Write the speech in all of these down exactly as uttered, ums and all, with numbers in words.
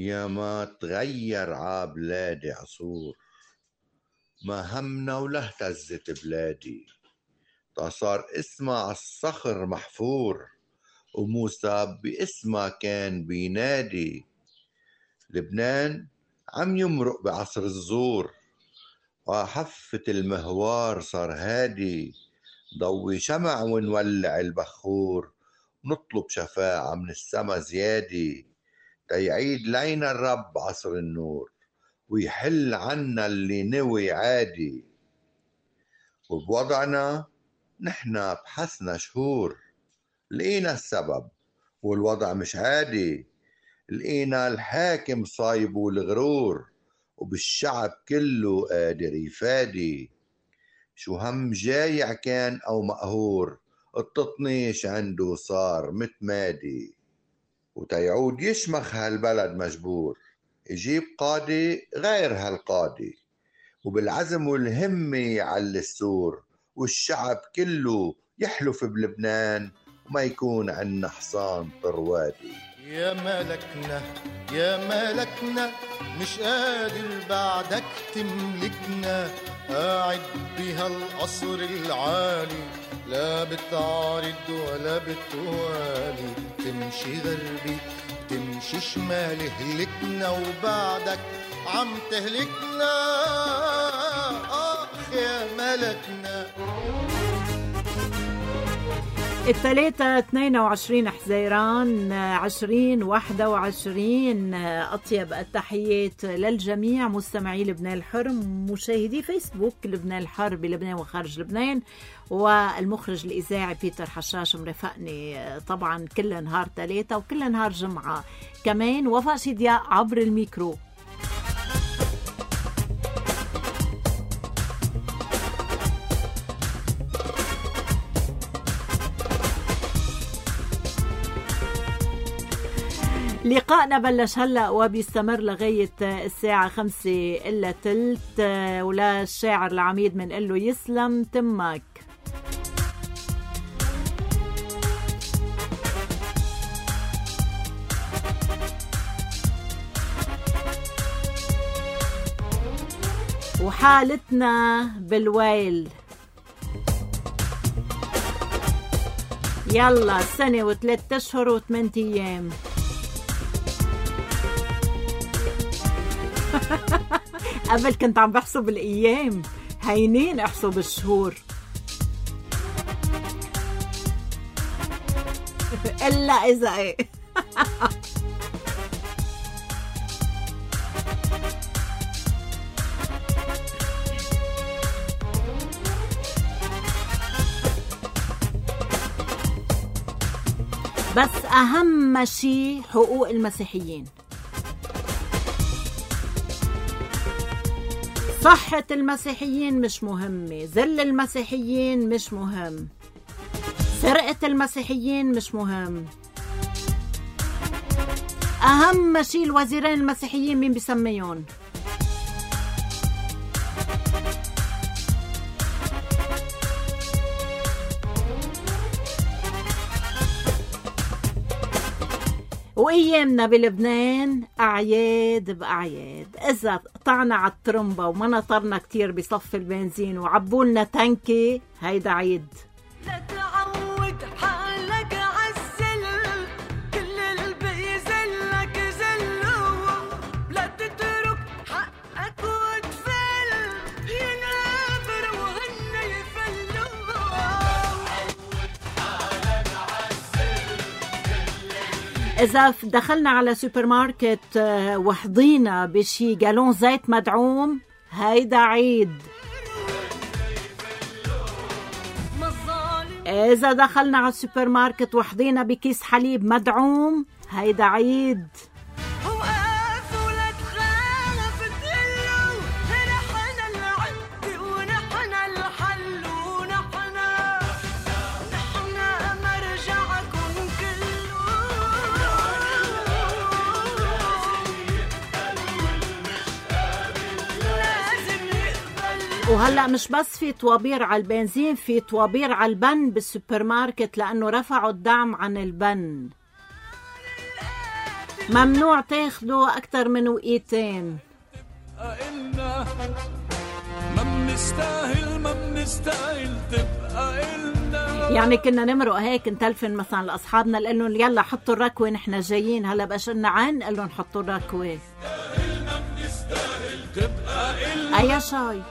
يا ما تغير عابلادي عصور، ما همنا ولا اهتزت بلادي، تا صار اسمها عالصخر محفور، وموسى باسمها كان بينادي. لبنان عم يمرق بعصر الزور، وحفة المهوار صار هادي، ضوي شمع ونولع البخور، ونطلب شفاعة من السما زيادي، تيعيد لينا الرب عصر النور، ويحل عنا اللي نوي عادي. وبوضعنا نحنا بحسنا شهور، لقينا السبب والوضع مش عادي، لقينا الحاكم صايب والغرور، وبالشعب كله قادر يفادي. شو هم جايع كان أو مقهور، التطنيش عنده صار متمادي، وتيعود يشمخ هالبلد مجبور، يجيب قاضي غير هالقاضي، وبالعزم والهمة يعلي السور، والشعب كله يحلف بلبنان، وما يكون عنا حصان طروادي. يا ملكنا يا ملكنا مش قادر بعدك تملكنا، قاعد بها القصر العالي، لا بتعارض ولا بتوالي، تمشي غربي تمشي شمالي، هلكنا وبعدك عم تهلكنا. آخ يا ملكنا. الثلاثة اثنين وعشرين حزيران عشرين واحدة وعشرين. أطيب التحيات للجميع مستمعي لبنان الحر، مشاهدي فيسبوك لبنان الحر بلبنان وخارج لبنان، والمخرج الإذاعي بيتر حشاش مرافقني طبعا كل نهار ثلاثة وكل نهار جمعة كمان، وفاء شدياء عبر الميكرو. لقاءنا بلش هلأ وبيستمر لغاية الساعة خمسة إلا تلت، ولا الشاعر العميد من قله يسلم تمك. وحالتنا بالويل، يلا سنة وثلاثة أشهر وثمانية أيام. قبل كنت عم بحسب الأيام، هينين احسب الشهور. إلا إذا إيه. بس أهم شيء حقوق المسيحيين، صحة المسيحيين مش مهمة، ذل المسيحيين مش مهم، سرقة المسيحيين مش مهم. أهم شيء الوزيرين المسيحيين مين بيسميون؟ وأيامنا بلبنان أعياد بأعياد، إذا قطعنا على الترمبة وما نطرنا كتير بصف البنزين وعبولنا تانكي، هيدا عيد. لا تعود حالك عالزل، كل البقي زلك زلو، لا تترك حقك وتفل، ينابر وهن يفلو. إذا دخلنا على سوبر ماركت وحضينا بشي جالون زيت مدعوم، هيدا عيد. إذا دخلنا على السوبر ماركت وحضينا بكيس حليب مدعوم، هيدا عيد. وهلأ مش بس في طوابير على البنزين، في طوابير على البن بالسوبر ماركت، لأنه رفعوا الدعم عن البن. ممنوع تاخدوا أكتر من وقيتين. إلنا ما بنستاهل ما بنستاهل تبقى إلنا. يعني كنا نمرق هيك نتلفن مثلا لأصحابنا نقول لهم يلا حطوا الركوة نحن جايين، هلا بقى لنا عين نقول لهم حطوا الركوة. أيا شاي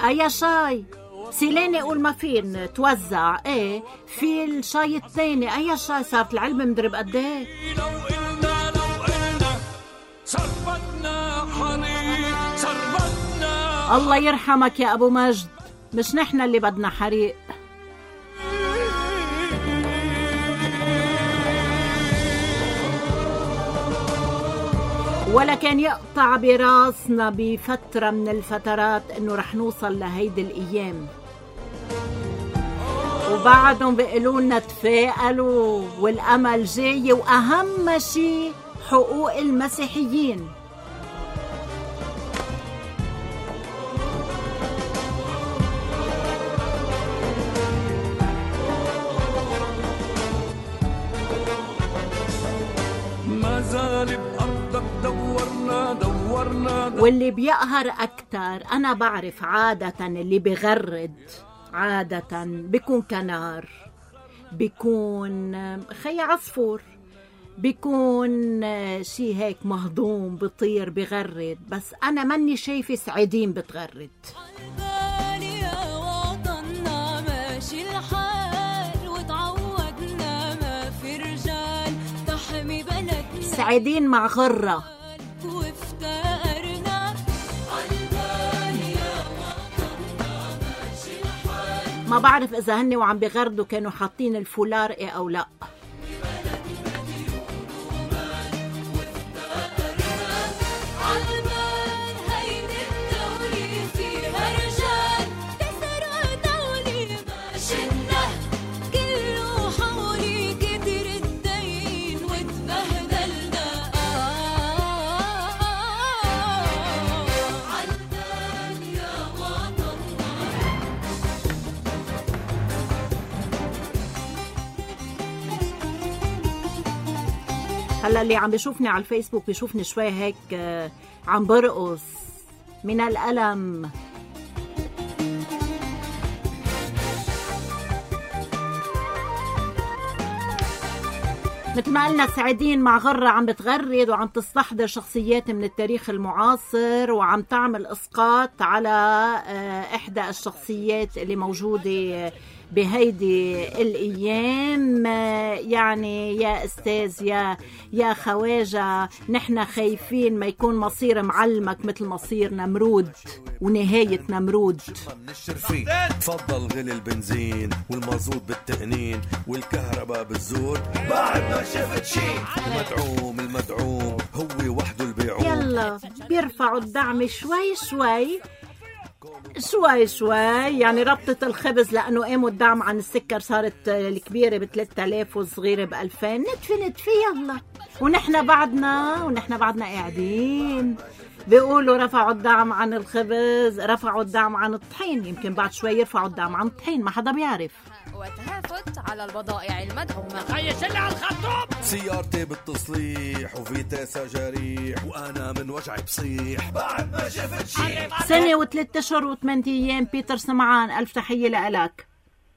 أيا شاي سيلاني قول ما فين توزع. ايه في الشاي الثاني أيا شاي صارت العلبة مدري بقد ايه. لو قلنا لو قلنا صربتنا حريق صربتنا. الله يرحمك يا أبو مجد، مش نحن اللي بدنا حريق. ولا كان يقطع براسنا بفترة من الفترات انه رح نوصل لهيدي الايام، وبعدهم بيقولوا لنا تفائلوا والامل جاي، واهم شيء حقوق المسيحيين. ما زال بأرضك دورنا دورنا, دورنا. واللي بيقهر أكتر أنا بعرف عادة اللي بغرد عادة بيكون كنار، بيكون خي عصفور، بيكون شي هيك مهضوم بطير بغرد، بس أنا ماني شايفة سعيدين بتغرد. سعيدين مع غرة. ما بعرف إذا هني وعم بغردوا كانوا حاطين الفولار إيه أو لا. هلا اللي عم بيشوفني على الفيسبوك بيشوفني شوي هيك عم برقص من الألم. مثل ما قلنا سعيدين مع غرة عم بتغرد وعم تستحضر شخصيات من التاريخ المعاصر وعم تعمل إسقاط على إحدى الشخصيات اللي موجودة بهيدي الأيام. يعني يا أستاذ يا يا خواجة نحن خايفين ما يكون مصير معلمك مثل مصير نمرود ونهاية نمرود. تفضل غلي البنزين والمازوت بالتقنين والكهرباء بالزور بعد ما شفت شي. المدعوم المدعوم هو وحده البيعوم. يلا بيرفعوا الدعم شوي شوي شوي شوي. يعني ربطة الخبز لأنه قاموا الدعم عن السكر صارت الكبيرة بثلاثة آلاف والصغيرة بألفين. نتفي نتفي يلا. ونحن بعدنا ونحن بعدنا قاعدين بيقولوا رفعوا الدعم عن الخبز، رفعوا الدعم عن الطحين، يمكن بعد شوي يرفعوا الدعم عن الطحين، ما حدا بيعرف. وتهافت على البضائع المدعومة. خيش اللي على الخطوب. سيارتي بالتصليح وفيتاسا جريح وأنا من وجعي بصيح بعد ما شفت شي. سنة وثلاثة أشهر وثمانية أيام. بيتر سمعان ألف تحية لك.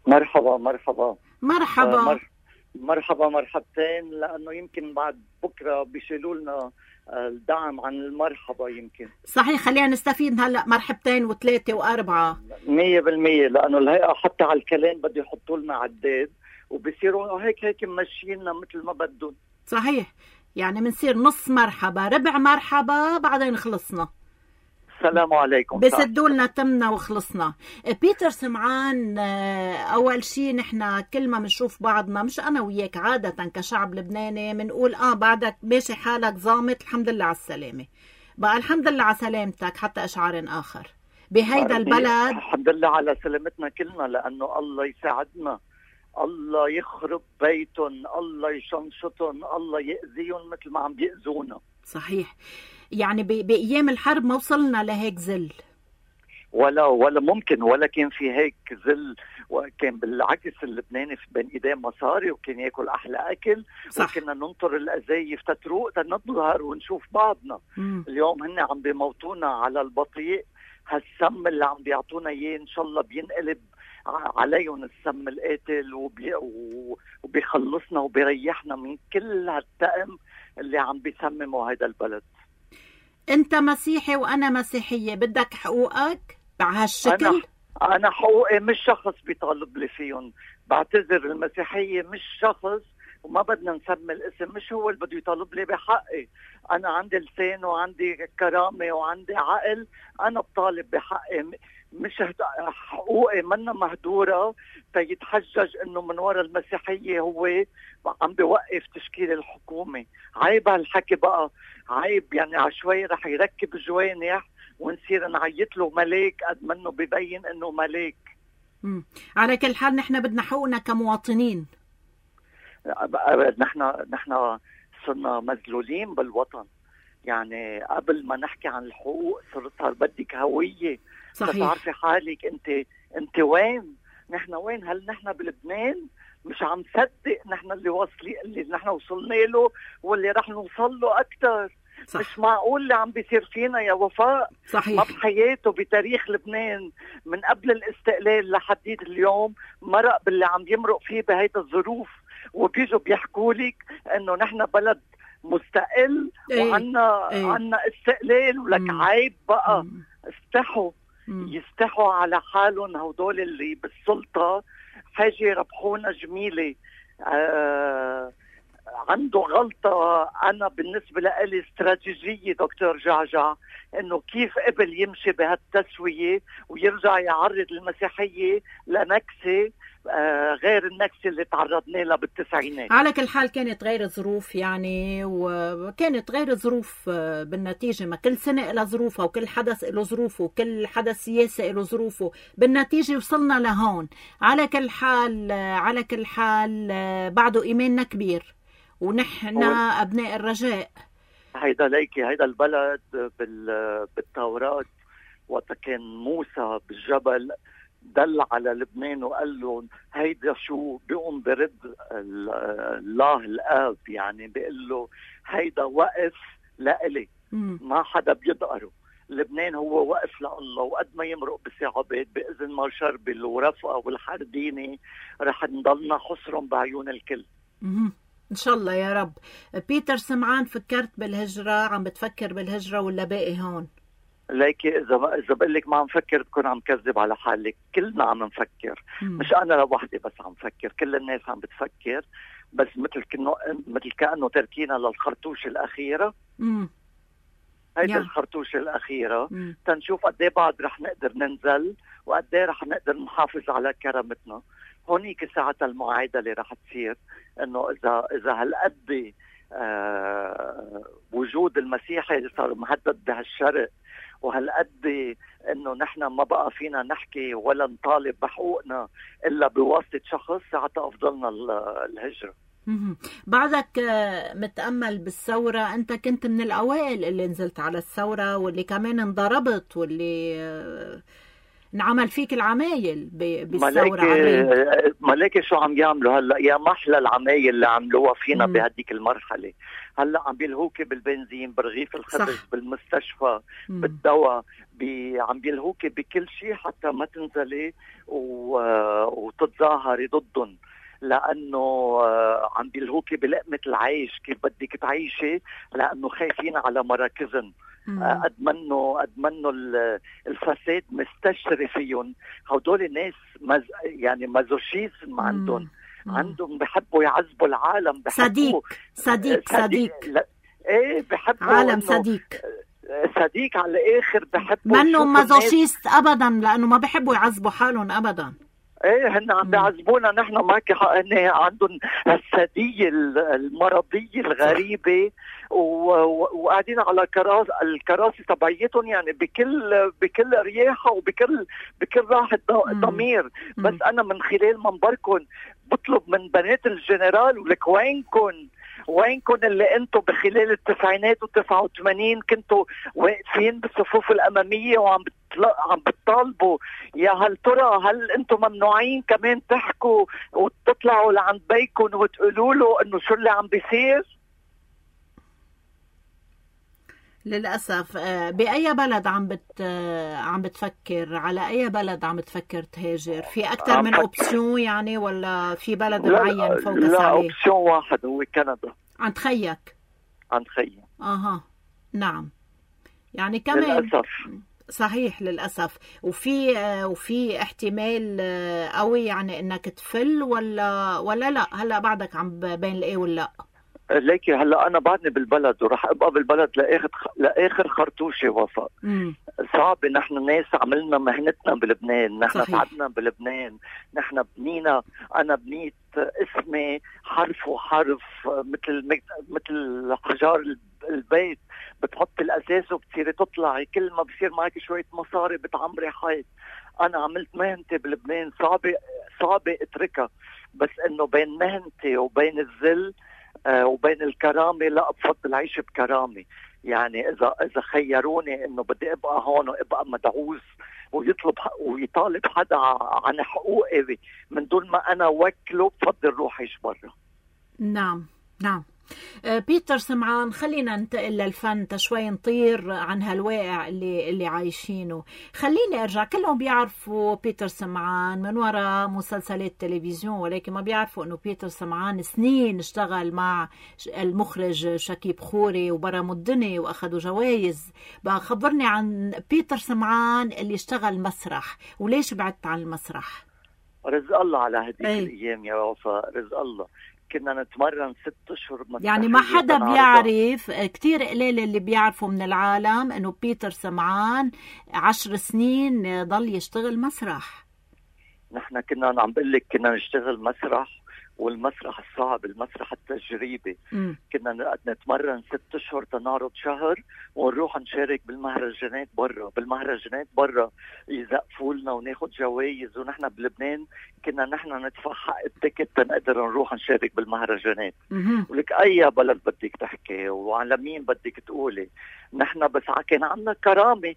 مرحبا مرحبا مرحبا آه مر... مرحبا مرحبتين، لأنه يمكن بعد بكرة بيشيلوا لنا الدعم عن المرحبا. يمكن صحيح، خلينا نستفيد هلأ مرحبتين وثلاثة وأربعة مية بالمية، لأنه الهيئة حتى على الكلام بده يحطوا لنا عداد وبيصيروا هيك هيك ممشينا مثل ما بدهم. صحيح، يعني منصير نص مرحبا ربع مرحبا بعدين خلصنا. السلام عليكم. بسدوا لنا تمنا وخلصنا. بيتر سمعان، أول شيء نحن كل ما بنشوف بعضنا، مش أنا وياك، عادة كشعب لبناني بنقول آه بعدك ماشي حالك ظامت الحمد لله على السلامة. بقى الحمد لله على سلامتك حتى إشعار آخر بهيدا البلد. الحمد لله على سلامتنا كلنا، لأنه الله يساعدنا، الله يخرب بيتهم، الله يشنشطهم، الله يأذيهم مثل ما عم بيأذونا. صحيح، يعني بأيام الحرب ما وصلنا لهيك ذل. ولا ولا ممكن ولا كان في هيك ذل، وكان بالعكس اللبناني في بين ايديه مصاري وكان ياكل احلى اكل. صح. وكنا ننطر الازايف تتروق تنظهر ونشوف بعضنا. مم. اليوم هن عم بيموتونا على البطيء، هالسم اللي عم بيعطونا اياه ان شاء الله بينقلب عليهم السم القاتل وبي وبيخلصنا وبيريحنا من كل هالتأم اللي عم بيسمموا هيدا البلد. انت مسيحي وانا مسيحية، بدك حقوقك بهالشكل؟ أنا, انا حقوقي مش شخص بيطالب لي فيهم، بعتذر. المسيحية مش شخص وما بدنا نسمي الاسم، مش هو اللي بده يطالب لي بحقي. انا عندي لسان وعندي كرامة وعندي عقل، انا بطالب بحقي، مش حقوقي منا مهدورة تيتحجج انه من وراء المسيحية هو عم بيوقف تشكيل الحكومة. عيب هالحكي بقى، عيب. يعني عشوائي رح يركب جوانح ونصير نعيط له ملاك قد منه ببين انه ملاك. مم. على كل حال نحن بدنا حقوقنا كمواطنين. نحن نحن صرنا مذلولين بالوطن. يعني قبل ما نحكي عن الحقوق صار بدك هوية. صحيح. تعرفي حالك انت انت وين؟ نحن وين؟ هل نحن بلبنان؟ مش عم صدق نحن اللي واصلين، اللي نحن وصلنا له واللي رح نوصل له اكثر. صح. مش معقول اللي عم بيصير فينا يا وفاء. صحيح. ما بحياته بتاريخ لبنان من قبل الاستقلال لحديد اليوم مرق باللي عم يمرق فيه بهيدا الظروف، وبيجوا بيحكوا لك انه نحن بلد مستقل. ايه. وعنا ايه. عنا استقلال. ولك مم. عيب بقى. مم. استحوا. مم. يستحوا على حالهم هدول اللي بالسلطة. حاجة يربحونا جميلة. آه عنده غلطة. أنا بالنسبة لي استراتيجية دكتور جعجع إنه كيف قبل يمشي بهالتسوية ويرجع يعرض المسيحية لنكسة آه غير النكسة اللي تعرضنا لها بالتسعينات. على كل حال كانت غير الظروف يعني، وكانت غير الظروف بالنتيجة. ما كل سنة إلى ظروفها وكل حدث إله ظروفه وكل حدث سياسي إله ظروفه، بالنتيجة وصلنا لهون. على كل حال على كل حال بعده إيماننا كبير ونحن أبناء الرجاء. هيدا ليكي هيدا البلد بالتوراة وقت كان موسى بالجبل دل على لبنان وقال له هيدا شو بيقوم برد الله الآب، يعني بيقول له هيدا وقف لإلي ما حدا بيدقره. لبنان هو وقف لله، وقد ما يمرق بصعوبات بإذن ما شربل ورفقة والحرديني رح نضلنا حصرهم بعيون الكل. إن شاء الله يا رب. بيتر سمعان، فكرت بالهجرة؟ عم بتفكر بالهجرة ولا باقي هون؟ ليكي إذا إذا بقول لك ما عم فكر بكون عم كذب على حالك. كلنا عم نفكر. مم. مش أنا لوحدي بس عم فكر، كل الناس عم بتفكر، بس مثل كأنه مثل كأنه تركينا للخرطوش الأخيرة. امم هيدي الخرطوش الأخيرة مم. تنشوف قد ايه بعد رح نقدر ننزل وقد ايه رح نقدر نحافظ على كرامتنا. هونيك ساعتها المعادلة رح تصير إنه إذا إذا هالقد آه وجود المسيحي صار مهدد بهالشرق، وهالقد انه نحن ما بقى فينا نحكي ولا نطالب بحقوقنا الا بواسطه شخص، ساعتها افضلنا الهجره. بعدك متأمل بالثورة، انت كنت من الاوائل اللي نزلت على الثورة واللي كمان انضربت واللي نعمل فيك العمايل بالثورة. ملاكي ملاكي شو عم يعملوا هلا؟ يا محلى العمايل اللي عملوها فينا بهديك المرحلة. هلا عم بيلهوكي بالبنزين، برغيف الخبز، صح. بالمستشفى، مم. بالدواء، بي عم بيلهوكي بكل شيء حتى ما تنزلي و... وتتظاهري ضدهم، لأنه عم بيلهوكي بلقمة العيش كيف بدك تعيشي، لأنه خايفين على مراكزهم. قد منه قد منه الفساد مستشري فيهم. هدول الناس مز... يعني مازوشيزم عندهم عندهم بحبوا يعذبوا العالم. صديق صديق صديق لا. ايه بحبوا عالم صديق صديق على الاخر. بحبوا منه مازوشيست ابدا، لانه ما بحبوا يعذبوا حالهم ابدا. ايه هن عم بيعذبونا نحن، ما كحقنا عندهم السادية المرضية الغريبة، وقاعدين على كراس الكراسي تبعيتهم، يعني بكل بكل رياحة وبكل بكل راحة ضمير. بس انا من خلال منبركم بطلب من بنات الجنرال ولك وينكن وينكم اللي انتم بخلال التسعينات وتسعة وثمانين كنتوا واقفين بالصفوف الاماميه وعم بتطلع عم بتطالبوا؟ يا هل ترى هل انتم ممنوعين كمان تحكوا وتطلعوا لعند بيكم وتقولوا له انه شو اللي عم بيصير؟ للأسف. بأي بلد عم بت عم بتفكر؟ على أي بلد عم بتفكر تهاجر؟ في أكثر من أوبسيون يعني، ولا في بلد لا معين فوكس لا عليه؟ أوبسيون واحد هو كندا. عند خيك؟ عند خيي. أها نعم. يعني كمان للأسف. صحيح للأسف. وفي وفي احتمال قوي يعني إنك تفل ولا ولا لا هلا بعدك عم بين الإيه واللا؟ ليكي هلا انا بعدني بالبلد وراح ابقى بالبلد لاخر لاخر خرطوشه وفاء. صعب. نحن ناس عملنا مهنتنا بلبنان، نحن تعبنا بلبنان، نحن بنينا. انا بنيت اسمي حرف وحرف مثل مثل حجار البيت، بتحط الاساس وبتصيري تطلعي، كل ما بصير معك شويه مصاري بتعمري حيط. انا عملت مهنتي بلبنان، صعبه صعبه اتركها، بس انه بين مهنتي وبين الذل آه وبين الكرامة لا بفضل عيش بكرامة. يعني إذا إذا خيروني إنه بدي أبقى هون وأبقى مدعوس ويطلب ويطالب حدا عن حقوقي من دون ما أنا وكله، بفضل روح عيش برا. نعم نعم. بيتر سمعان، خلينا ننتقل للفن تشوي، نطير عن هالواقع اللي اللي عايشينه. خليني ارجع، كلهم بيعرفوا بيتر سمعان من وراء مسلسلات تلفزيون، ولكن ما بيعرفوا انه بيتر سمعان سنين اشتغل مع المخرج شكيب خوري وبرم الدنيا واخذوا جوائز. بقى خبرني عن بيتر سمعان اللي اشتغل مسرح، وليش بعدت عن المسرح؟ رزق الله على هديك الايام يا وفاء، رزق الله. كنا نتمرن ست اشهر يعني ما حدا بيعرف، كتير قليل اللي بيعرفوا من العالم انه بيتر سمعان عشر سنين ضل يشتغل مسرح. نحن كنا عم بقول لك كنا نشتغل مسرح، والمسرح الصعب، المسرح التجريبي. م. كنا نتمرن ست اشهر تنعرض شهر ونروح نشارك بالمهرجانات برا. بالمهرجانات برا يزقفوا لنا وناخد جوائز، ونحن بلبنان كنا نحن ندفع حق التيكت تنقدر نروح نشارك بالمهرجانات. ولك اي بلد بدك تحكي وعلى مين بدك تقولي، نحن بس كان عندنا كرامة،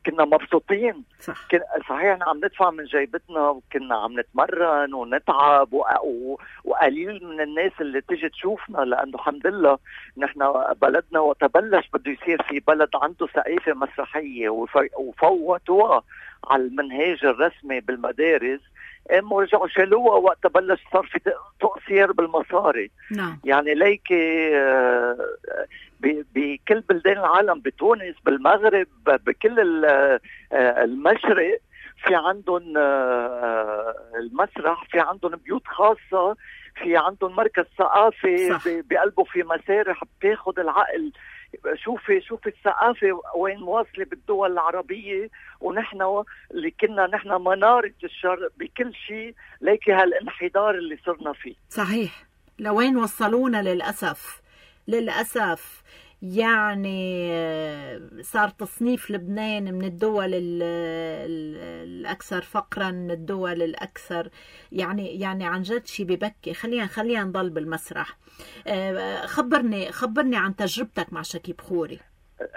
كنا مبسوطين. صح. كن... صحيح عم ندفع من جيبتنا وكنا عم نتمرن ونتعب و... و... وقليل من الناس اللي تيجي تشوفنا، لأنه الحمد لله نحن بلدنا وتبلش بده يصير في بلد عنده ثقافة مسرحية وف... وفوتوها على المنهاج الرسمي بالمدارس، قاموا ورجعوا شالوها وقت بلش صار في تقصير بالمصاري. نعم. يعني ليكي بكل بلدان العالم، بتونس، بالمغرب، بكل المشرق في عندهم المسرح، في عندهم بيوت خاصة، في عندهم مركز ثقافي بقلبه في مسارح بتاخد العقل. شوفي شوفي الثقافة وين واصلة بالدول العربية، ونحن اللي كنا نحن منارة الشرق بكل شيء، ليكي هالانحدار اللي صرنا فيه. صحيح. لوين وصلونا للأسف للأسف. يعني صار تصنيف لبنان من الدول الأكثر فقرا، من الدول الأكثر يعني يعني عن جد شيء ببكي. خلينا خلينا نضل بالمسرح. خبرني خبرني عن تجربتك مع شكيب خوري.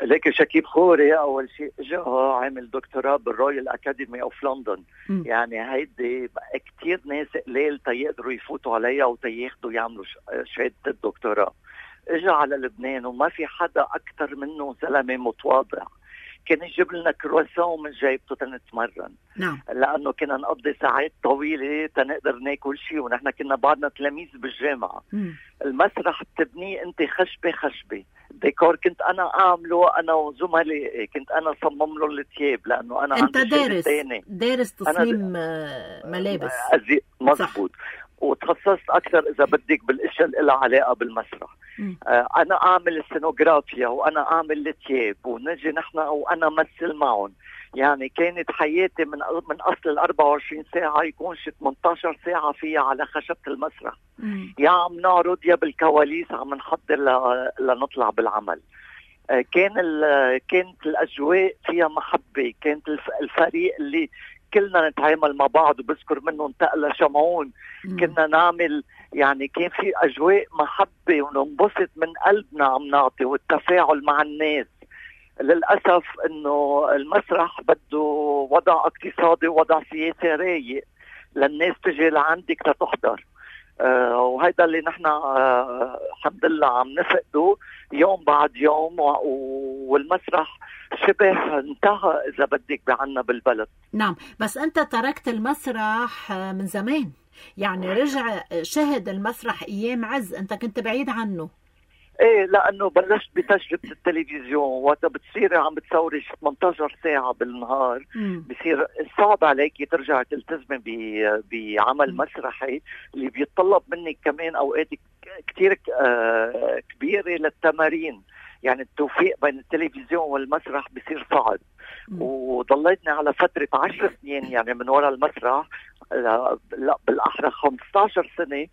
ليك شكيب خوري أول شيء جاء عامل دكتوراه بالرويال أكاديمي أوف لندن. يعني هيدي كتير ناس قليل تيقدروا يفوتوا عليها وتياخدوا يعملوا شهادة الدكتوراه. اجى على لبنان وما في حدا اكثر منه زلمه متواضع، كان يجيب لنا كرواسون من جيبته تنتمرن. نعم. لانه كنا نقضي ساعات طويله تنقدر ناكل شيء، ونحن كنا بعدنا تلاميذ بالجامعه. م. المسرح بتبنيه انت خشبه خشبه، ديكور كنت انا اعمله انا وزملائي، كنت انا صمم له الثياب لانه انا انت دارس دارس تصميم ملابس. مزبوط. وتخصصت اكثر اذا بدك بالاشياء اللي لها علاقه بالمسرح. آه انا اعمل السينوغرافيا وانا اعمل الثياب ونجي نحن وانا مثل معهم. يعني كانت حياتي من من اصل ال أربعة وعشرين ساعه يكون شي ثمانية عشر ساعه فيها على خشبه المسرح. مم. يا عم نعرض يا بالكواليس عم نحضر لنطلع بالعمل. آه كان كانت الاجواء فيها محبه، كانت الفريق اللي كلنا نتعامل مع بعض، وبذكر منه انتقل شمعون. كنا نعمل يعني كان في أجواء محبة وننبسط من قلبنا عم نعطي، والتفاعل مع الناس. للأسف إنه المسرح بده وضع اقتصادي ووضع سياسي رايق للناس تجي لعندك لتحضر. آه وهذا اللي نحن آه الحمد لله عم نفقده يوم بعد يوم، والمسرح شبه انتهى إذا بدك بعنا بالبلد. نعم، بس أنت تركت المسرح من زمان، يعني رجع شهد المسرح أيام عز، أنت كنت بعيد عنه. ايه، لانه بلشت بتجربه التلفزيون، وقت بتصيري عم بتصوري ثمانية عشر ساعه بالنهار مم. بصير صعب عليكي ترجع تلتزمي بعمل مم. مسرحي اللي بيتطلب منك كمان اوقات كتير آه كبيره للتمارين. يعني التوفيق بين التلفزيون والمسرح بصير صعب. مم. وضليتني على فتره عشر سنين يعني من وراء المسرح، لا, لا بالاحرى خمسة عشر سنه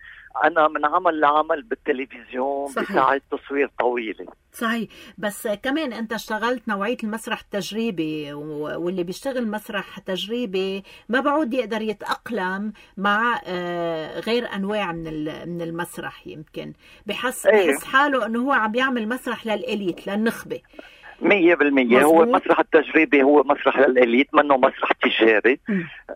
أنا من عمل لعمل بالتلفزيون بساعات تصوير طويلة. صحيح، بس كمان أنت اشتغلت نوعية المسرح التجريبي، واللي بيشتغل مسرح تجريبي ما بعود يقدر يتأقلم مع غير أنواع من من المسرح. يمكن بحس بحس حاله أنه هو عم يعمل مسرح للإليت، للنخبة. مية بالمية هو المسرح التجريبي هو مسرح للإليت، منه مسرح تجاري.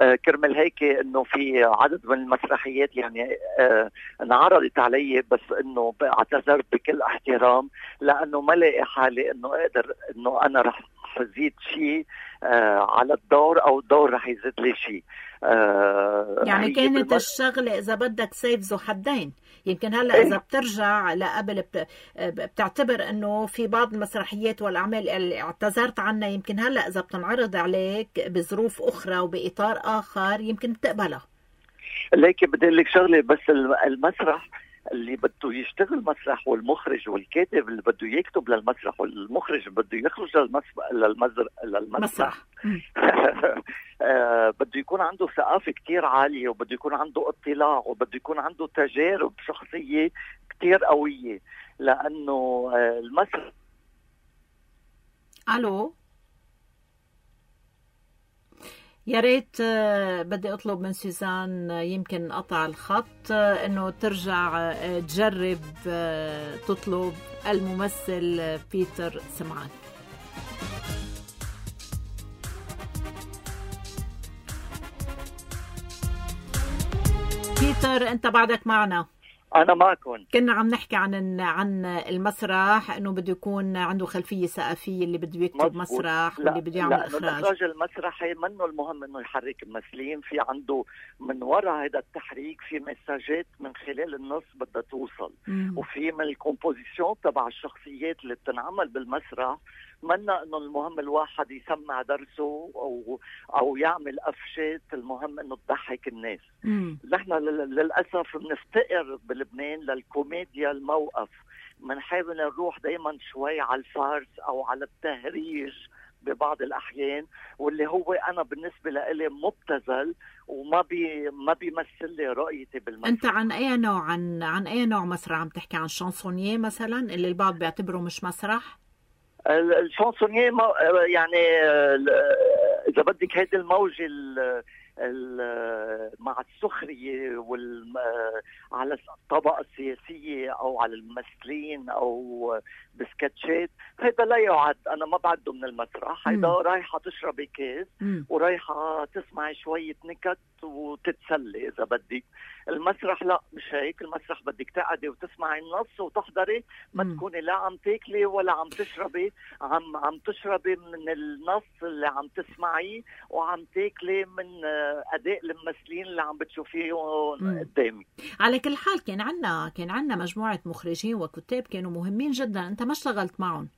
آه كرمال هيك انه في عدد من المسرحيات يعني آه انعرضت علي، بس انه اعتذرت بكل احترام، لانه ما لاقي حالي انه اقدر انه انا رح ازيد شيء آه على الدور، او الدور رح يزيد لي شيء. آه يعني كانت بالمس... الشغلة إذا بدك سيف ذو حدين. يمكن هلأ إيه؟ إذا بترجع لقبل بت... بتعتبر أنه في بعض المسرحيات والأعمال اللي اعتذرت عنها، يمكن هلأ إذا بتنعرض عليك بظروف أخرى وبإطار آخر يمكن بتقبلها. لكن بدي لك شغلة، بس المسرح اللي بده يشتغل مسرح، والمخرج والكاتب اللي بده يكتب للمسرح، والمخرج بده يخرج للمسرح للمزر... للمسرح آه بده يكون عنده ثقافة كتير عالية، وبده يكون عنده اطلاع، وبده يكون عنده تجارب شخصية كتير قوية، لأنه آه المسرح. ألو، يا ريت بدي أطلب من سوزان، يمكن قطع الخط، إنه ترجع تجرب تطلب الممثل بيتر سمعان. بيتر أنت بعدك معنا؟ أنا معكم. كنا عم نحكي عن عن المسرح، إنه بده يكون عنده خلفية ثقافية، اللي بده يكتب مسرح واللي بده يعمل إخراج. الإخراج المسرحي منه المهم إنه يحرك الممثلين، في عنده من وراء هذا التحريك في مساجات من خلال النص بدها توصل، مم. وفي من الكومبوزيشن تبع الشخصيات اللي بتنعمل بالمسرح. منا انه المهم الواحد يسمع درسه او او يعمل قفشات، المهم انه تضحك الناس. نحن للاسف بنفتقر بلبنان للكوميديا الموقف، بنحاول نروح دائما شوي على الفارس او على التهريج ببعض الاحيان، واللي هو انا بالنسبه لي مبتذل وما بي ما بيمثل لي رؤيتي بالمسرح. انت عن اي نوع عن عن اي نوع مسرح عم تحكي؟ عن شانسونييه مثلا اللي البعض بيعتبره مش مسرح؟ الشانسونييه يعني اذا بدك هيدي الموجه مع السخريه وال على الطبقه السياسيه او على الممثلين او بسكتشات، هذا لا يعد، انا ما بعده من المسرح. هيدا رايحه تشربي كاس ورايحه تسمعي شويه نكت وتتسلي اذا بدك. المسرح لا، مش هيك. المسرح بدك تقعدي وتسمعي النص وتحضري، ما تكوني لا عم تاكلي ولا عم تشربي، عم عم تشربي من النص اللي عم تسمعيه، وعم تاكلي من اداء الممثلين اللي عم بتشوفيهم قدامك. على كل حال كان عنا كان عنا مجموعه مخرجين وكتاب كانوا مهمين جدا، انت ما اشتغلت معهم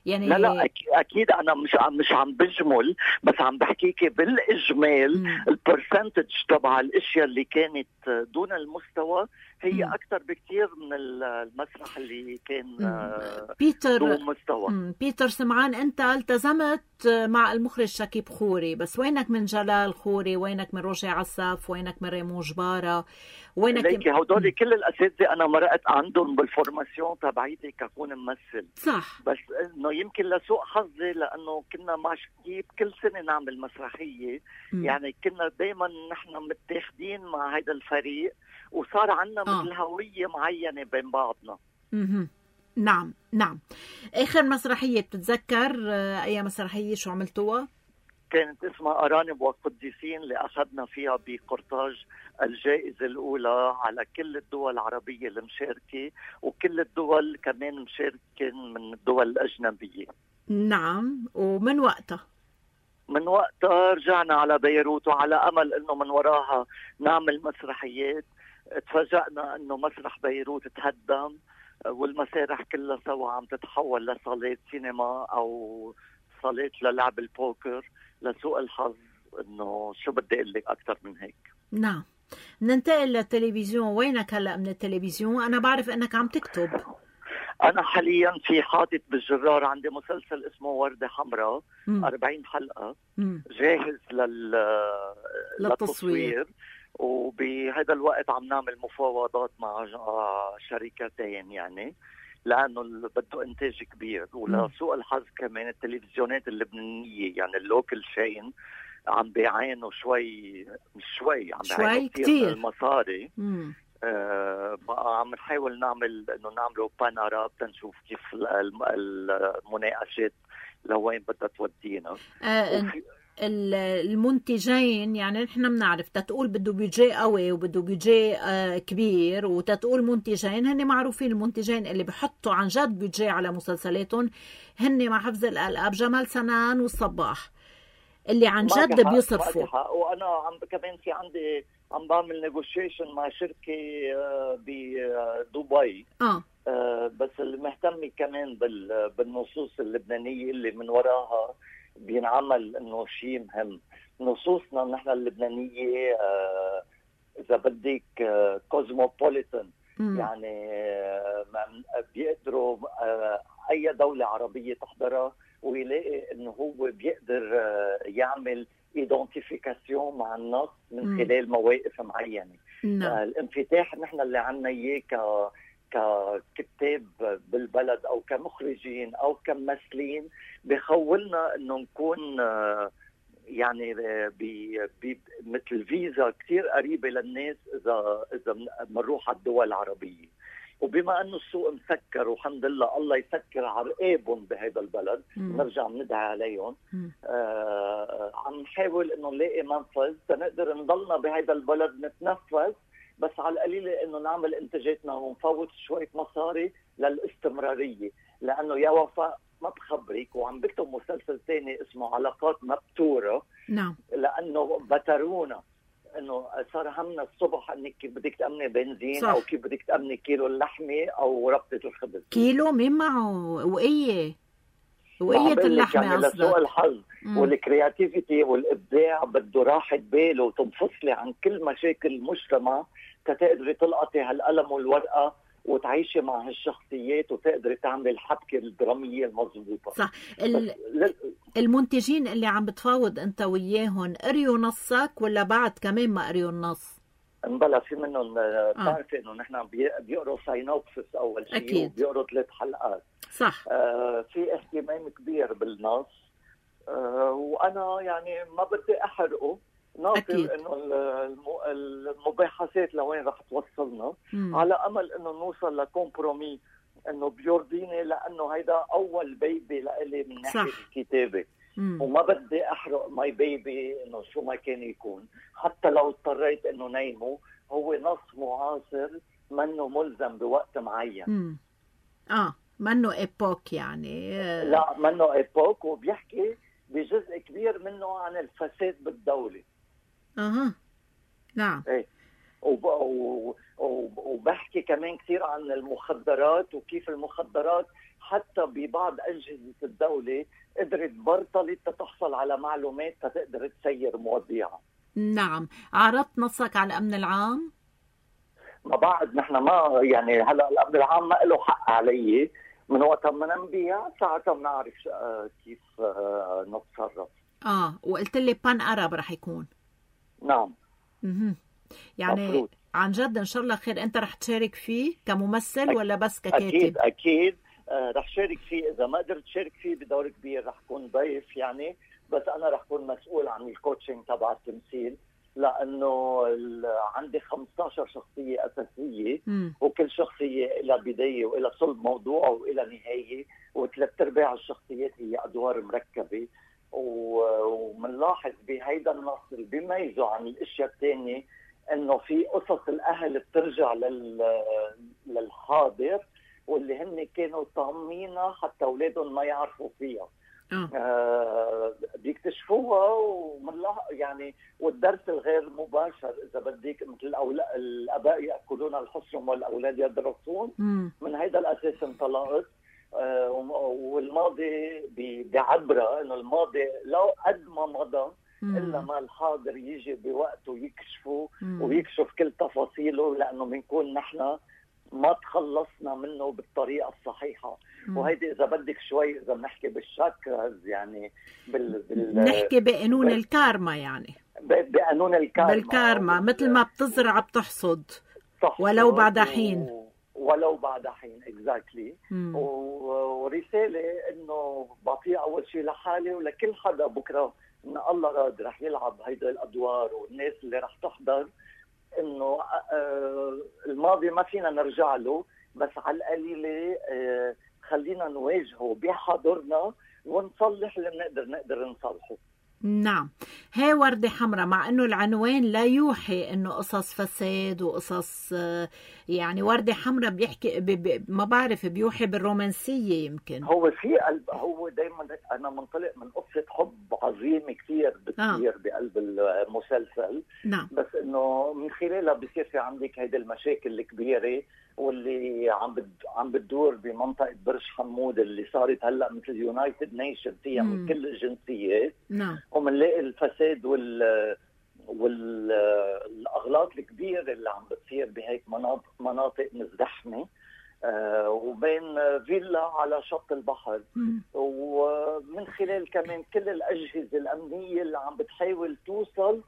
يعني؟ لا لا اكيد انا مش عم مش عم بجمل، بس عم بحكيكي بالاجمال البرسنتج تبع الاشياء اللي كانت دون المستوى هي مم. اكثر بكثير من المسرح اللي كان مم. بيتر دون مستوى. مم. بيتر سمعان، انت التزمت مع المخرج شكيب خوري، بس وينك من جلال خوري؟ وينك من روجي عساف؟ وينك من ريمون جبارة؟ وينك ليكي هدول كل الاساتذه انا مرقت عندهم بالفورماسيون تبعيتي ككون ممثل. صح. بس انه يمكن لسوء حظي لانه كنا مع شكيب كل سنه نعمل مسرحيه. م. يعني كنا دائما نحن متاخدين مع هذا الفريق، وصار عندنا آه. مثل هويه معينه بين بعضنا. اها نعم نعم. اخر مسرحيه بتتذكر اي مسرحيه شو عملتوها؟ كانت اسمها أرانب وقديسين، اللي أخذنا فيها بقرطاج الجائزة الأولى على كل الدول العربية المشاركة، وكل الدول كمان مشاركين من الدول الأجنبية. نعم. ومن وقتها من وقتها رجعنا على بيروت، وعلى أمل أنه من وراها نعمل مسرحيات. تفاجأنا أنه مسرح بيروت تهدم، والمسارح كلها سوا عم تتحول لصالات سينما أو صالات للعب البوكر. لسوء الحظ انه شو بدي اقول لك اكثر من هيك. نعم. ننتقل للتلفزيون. وينك هلا من التلفزيون؟ انا بعرف انك عم تكتب. انا حاليا في حاطط بالجرار عندي مسلسل اسمه وردة حمراء، أربعين حلقة م. جاهز لل... للتصوير، وبهذا الوقت عم نعمل مفاوضات مع شركتين يعني، لأنه بده إنتاج كبير. ولسوء الحظ كمان التلفزيونات اللبنانية يعني اللوكل شين عم بيعانوا شوي، مش شوي، عم بيعانوا كتير المصاري. آه بقى عم نحاول نعمل إنه نعمله بانارا تنشوف كيف المناقشات لوين بدها تودينا. آه المنتجين يعني نحن بنعرف تتقول بده بيجي قوي وبده بيجي آه كبير، وتتقول منتجين هن معروفين. المنتجين اللي بحطوا عن جد بيجي على مسلسلاتهم هن مع حفظ الألقاب جمال سنان والصباح، اللي عن جد بيصرفوا. وانا عم كمان في عندي عم بعمل نيغوشيشن مع شركه آه بدبي اه آه بس اللي مهتمه كمان بالنصوص اللبنانيه اللي من وراها بينعمل انه شيء مهم. نصوصنا نحن اللبنانيه آه اذا بدك آه كوزموبوليتان، يعني آه بيقدروا آه اي دوله عربيه تحضرها ويلاقي انه هو بيقدر آه يعمل ايدنتيفيكاسيون مع النص من م. خلال مواقف معينه. آه الانفتاح نحن اللي عنا اياه ك ككتاب بالبلد او كمخرجين او كممثلين بخولنا انه نكون يعني مثل فيزا كثير قريبه للناس اذا اذا بنروح على الدول العربيه. وبما انه السوق مسكر والحمد لله الله يسكر عرقابهم بهذا البلد، نرجع ندعي عليهم. آه عم نحاول انه نلاقي منفذ تنقدر نضلنا بهذا البلد نتنفس، بس على القليله انه نعمل انتاجاتنا ونفوت شويه مصاري للاستمراريه. لانه يا وفاء ما بخبرك وعم بكتب مسلسل ثاني اسمه علاقات مبتوره. نعم. لانه بترونا انه صار همنا الصبح انك كيف بدك تامني بنزين صح. او كيف بدك تامني كيلو اللحمه او ربطه الخبز. كيلو مين معه وقيه وقيه اللحمه يعني قصدك. لسوء الحظ والكرياتيفيتي والابداع بده راحه بال وتنفصلي عن كل مشاكل المجتمع تتقدري تلقطي هالقلم والورقه وتعيشي مع هالشخصيات وتقدري تعملي الحبكه الدراميه المضبوطه. صح. ال... المنتجين اللي عم بتفاوض انت وياهم قريوا نصك ولا بعد كمان ما قريوا النص؟ انبلا في منهم بتعرفي انه نحن بيقروا ساينوبسس اول شيء وبيقروا ثلاث حلقات. صح. آه في اهتمام كبير بالنص. آه وانا يعني ما بدي احرقه، ناطر انه المباحثات لوين رح توصلنا. مم. على امل انه نوصل لكومبرومي انه بيرضيني، لانه هيدا اول بيبي لإلي من ناحيه الكتابه. مم. وما بدي احرق ماي بيبي انه شو ما كان يكون، حتى لو اضطريت انه نيمه. هو نص معاصر منه ملزم بوقت معين. مم. اه منه ايبوك يعني. لا منه ايبوك، وبيحكي بجزء كبير منه عن الفساد بالدوله. اها نعم. ايه وب... وبحكي كمان كثير عن المخدرات وكيف المخدرات حتى ببعض أجهزة الدولة قدرت برطلت تتحصل على معلومات تقدر تسير مواضيعها. نعم. عرضت نصك على الأمن العام؟ ما بعد نحن ما يعني هلا الامن العام ما له حق علي، من وقت ما ننبيع ساعتها بنعرف كيف نتصرف. اه وقلت لي بان ارب رح يكون. نعم. اها يعني مفروض. عن جد ان شاء الله خير. انت رح تشارك فيه كممثل أك... ولا بس ككاتب؟ اكيد اكيد آه رح شارك فيه. اذا ما قدرت شارك فيه بدور كبير رح كون ضيف يعني، بس انا رح كون مسؤول عن الكوتشنج تبع التمثيل، لانه عندي خمسة عشر شخصيه اساسيه م. وكل شخصيه لها بدايه والى صلب موضوع والى نهايه، وثلاث ارباع الشخصيات هي ادوار مركبه. ومنلاحظ بهيدا النص اللي بيميزه عن الاشياء الثانيه انه في قصص الاهل بترجع لل... للحاضر واللي هن كانوا طامينها حتى اولادهم ما يعرفوا فيها. آه بيكتشفوها ومنلاحظ يعني. والدرس الغير مباشر اذا بدك مثل الأولا... الاباء ياكلون الحصرم والاولاد يدرسون، من هيدا الاساس انطلقت. آه والماضي بعبره انه الماضي لو قد ما مضى الا ما الحاضر يجي بوقته يكشفه ويكشف كل تفاصيله، لانه بنكون نحن ما تخلصنا منه بالطريقه الصحيحه. مم. وهيدي اذا بدك شوي اذا بنحكي بالشاكراز يعني بال, بال... نحكي بقانون بال... الكارما يعني ب... بقانون الكارما بالكارما مثل ما بتزرع بتحصد ولو بعد حين و... ولو بعد حين اكزاكتلي. و... ورساله انه بعطيها اول شيء لحالي ولكل حدا بكره ان الله راد رح يلعب هيدا الادوار والناس اللي رح تحضر، انه الماضي ما فينا نرجع له، بس على القليله خلينا نواجهه بحاضرنا ونصلح اللي بنقدر نقدر نصلحه. نعم. هي وردة حمراء مع انه العنوان لا يوحي انه قصص فساد وقصص يعني وردة حمراء بيحكي ب... ب... ما بعرف بيوحي بالرومانسية يمكن. هو في قلب هو دايما انا منطلق من قصة حب عظيمة كثير بتصير آه. بقلب المسلسل. نعم. بس انه من خلالها بصير في عندك هيدي المشاكل الكبيرة واللي عم بد... عم بتدور بمنطقة برج حمود اللي صارت هلا مثل يونايتد نيشن فيها مم. من كل الجنسيات. نعم. ومنلاقي الفساد وال والاغلاط الكبيره اللي عم بتصير بهيك مناطق مناطق مزدحمه، آه وبين فيلا على شط البحر. مم. ومن خلال كمان كل الاجهزه الامنيه اللي عم بتحاول توصل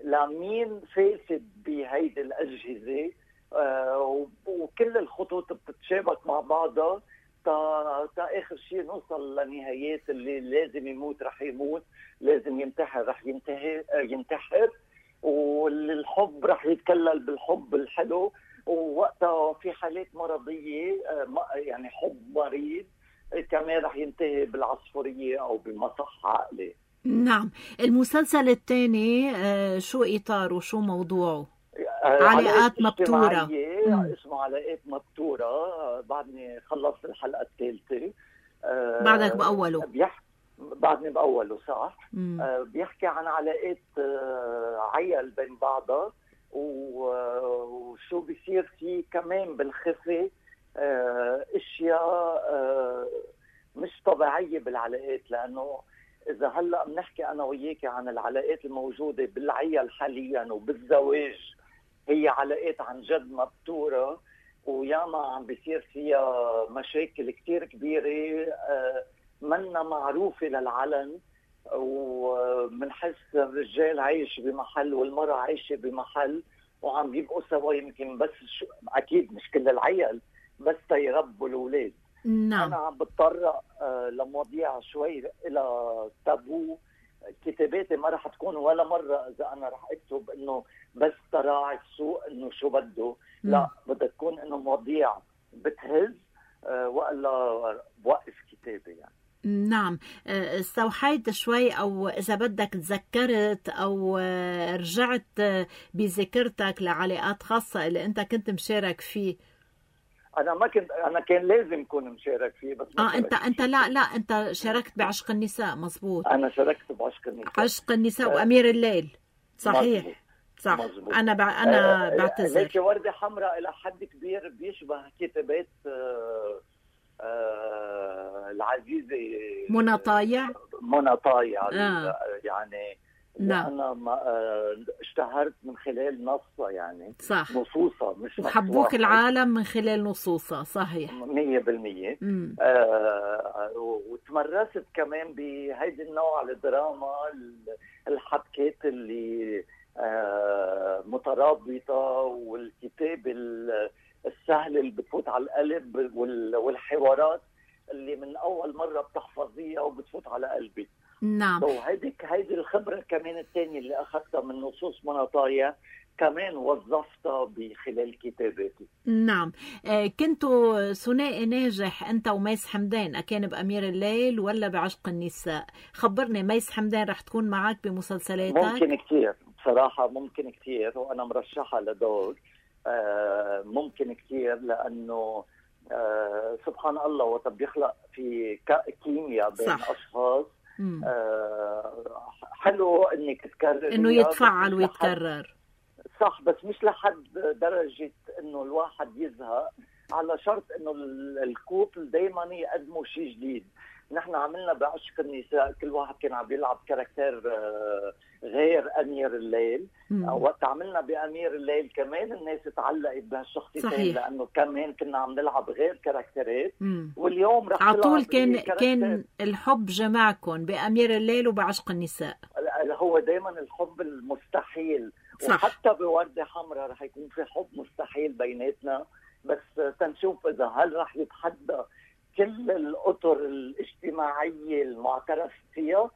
لمين فاسد بهيدي الاجهزه، آه وكل الخطوط بتتشابك مع بعضها تا, تا اخر شيء نوصل لنهايات اللي لازم يموت رح يموت، لازم ينتحر رح ينتهي ينتحر، والحب رح يتكلل بالحب الحلو، ووقتها في حالات مرضيه يعني حب مريض كمان رح ينتهي بالعصفوريه او بمصح عقلي. نعم. المسلسل الثاني شو اطاره شو موضوعه؟ علاقات مبتورة. اسمه علاقات مبتورة. بعدني خلصت الحلقة الثالثة. بعدك بأوله؟ بيحكي بعدني بأوله صح. أه بيحكي عن علاقات أه عيال بين بعضها وشو بيصير فيه كمان بالخفي أه اشياء أه مش طبيعية بالعلاقات، لأنه إذا هلأ بنحكي أنا وياك عن العلاقات الموجودة بالعيال حاليا وبالزواج هي علاقات عن جد مبتورة، وياما عم بيصير فيها مشاكل كتير كبيرة منا معروفة للعلن، ومنحس الرجال عايش بمحل والمرأة عايشة بمحل وعم بيبقوا سوا يمكن بس شو أكيد مش كل العيال بس تيربوا الأولاد. نعم. أنا عم بتطرق لمواضيع شوي إلى تابو. كتاباتي ما رح تكون ولا مرة إذا أنا رح أكتب إنه بس تراعي السوق إنه شو بده، لا بدها تكون إنه مواضيع بتهز أه وإلا بوقف كتابي يعني. نعم. استوحيت شوي أو إذا بدك تذكرت أو رجعت بذاكرتك لعلاقات خاصة اللي أنت كنت مشارك فيه. أنا ما كنت أنا كان لازم كون مشارك فيه بس آه أنت أنت لا لا أنت شاركت بعشق النساء مزبوط. أنا شاركت بعشق النساء. عشق النساء آه. وأمير الليل صحيح. مزبوط. صح. مزبوط. أنا بع... أنا آه بعتذر. هيك وردة حمراء إلى حد كبير بيشبه كتابات آه آه العزيزة منى طايع. منى طايع آه. يعني نعم. أنا ما آه، اشتهرت من خلال نصها يعني صح. نصوصها مش وحبوك العالم من خلال نصوصها. صحيح مية بالمية. مم. آه وتمرست كمان بهيدي النوع الدراما الحبكات اللي آه مترابطة، والكتاب السهل اللي بتفوت على القلب، والحوارات اللي من أول مرة بتحفظيها وبتفوت على قلبي. نعم. وهيديك هيدي الخبرة كمان الثانية اللي أخذتها من نصوص مناطايا كمان وظفتها بخلال كتاباتي. نعم. آه كنتوا ثنائي ناجح أنت وميس حمدان، أكان بأمير الليل ولا بعشق النساء؟ خبرني، ميس حمدان رح تكون معك بمسلسلاتك؟ ممكن كتير بصراحة، ممكن كتير، وأنا مرشحة لدور. آه ممكن كتير لأنه آه سبحان الله وقت بيخلق في كيمياء بين صح. أشخاص آه حلو إنك تكرر إنه يتفعل ويتكرر. صح، بس مش لحد درجة إنه الواحد يزهق، على شرط إنه الكوبل دايما يقدموا شيء جديد. نحن عملنا بعشق النساء كل واحد كان عم يلعب كاركتير غير أمير الليل. وقت عملنا بأمير الليل كمان الناس تعلقت بهالشخصيتين لأنه كمان كنا عم نلعب غير كاركتيرات. واليوم رح عطول كان كان الحب جمعكم بأمير الليل وبعشق النساء. هو دايما الحب المستحيل. صح. وحتى بوردة حمراء رح يكون في حب مستحيل بيناتنا، بس تنشوف إذا هل رح يتحدى كل الأطر الاجتماعية المعترف فيها،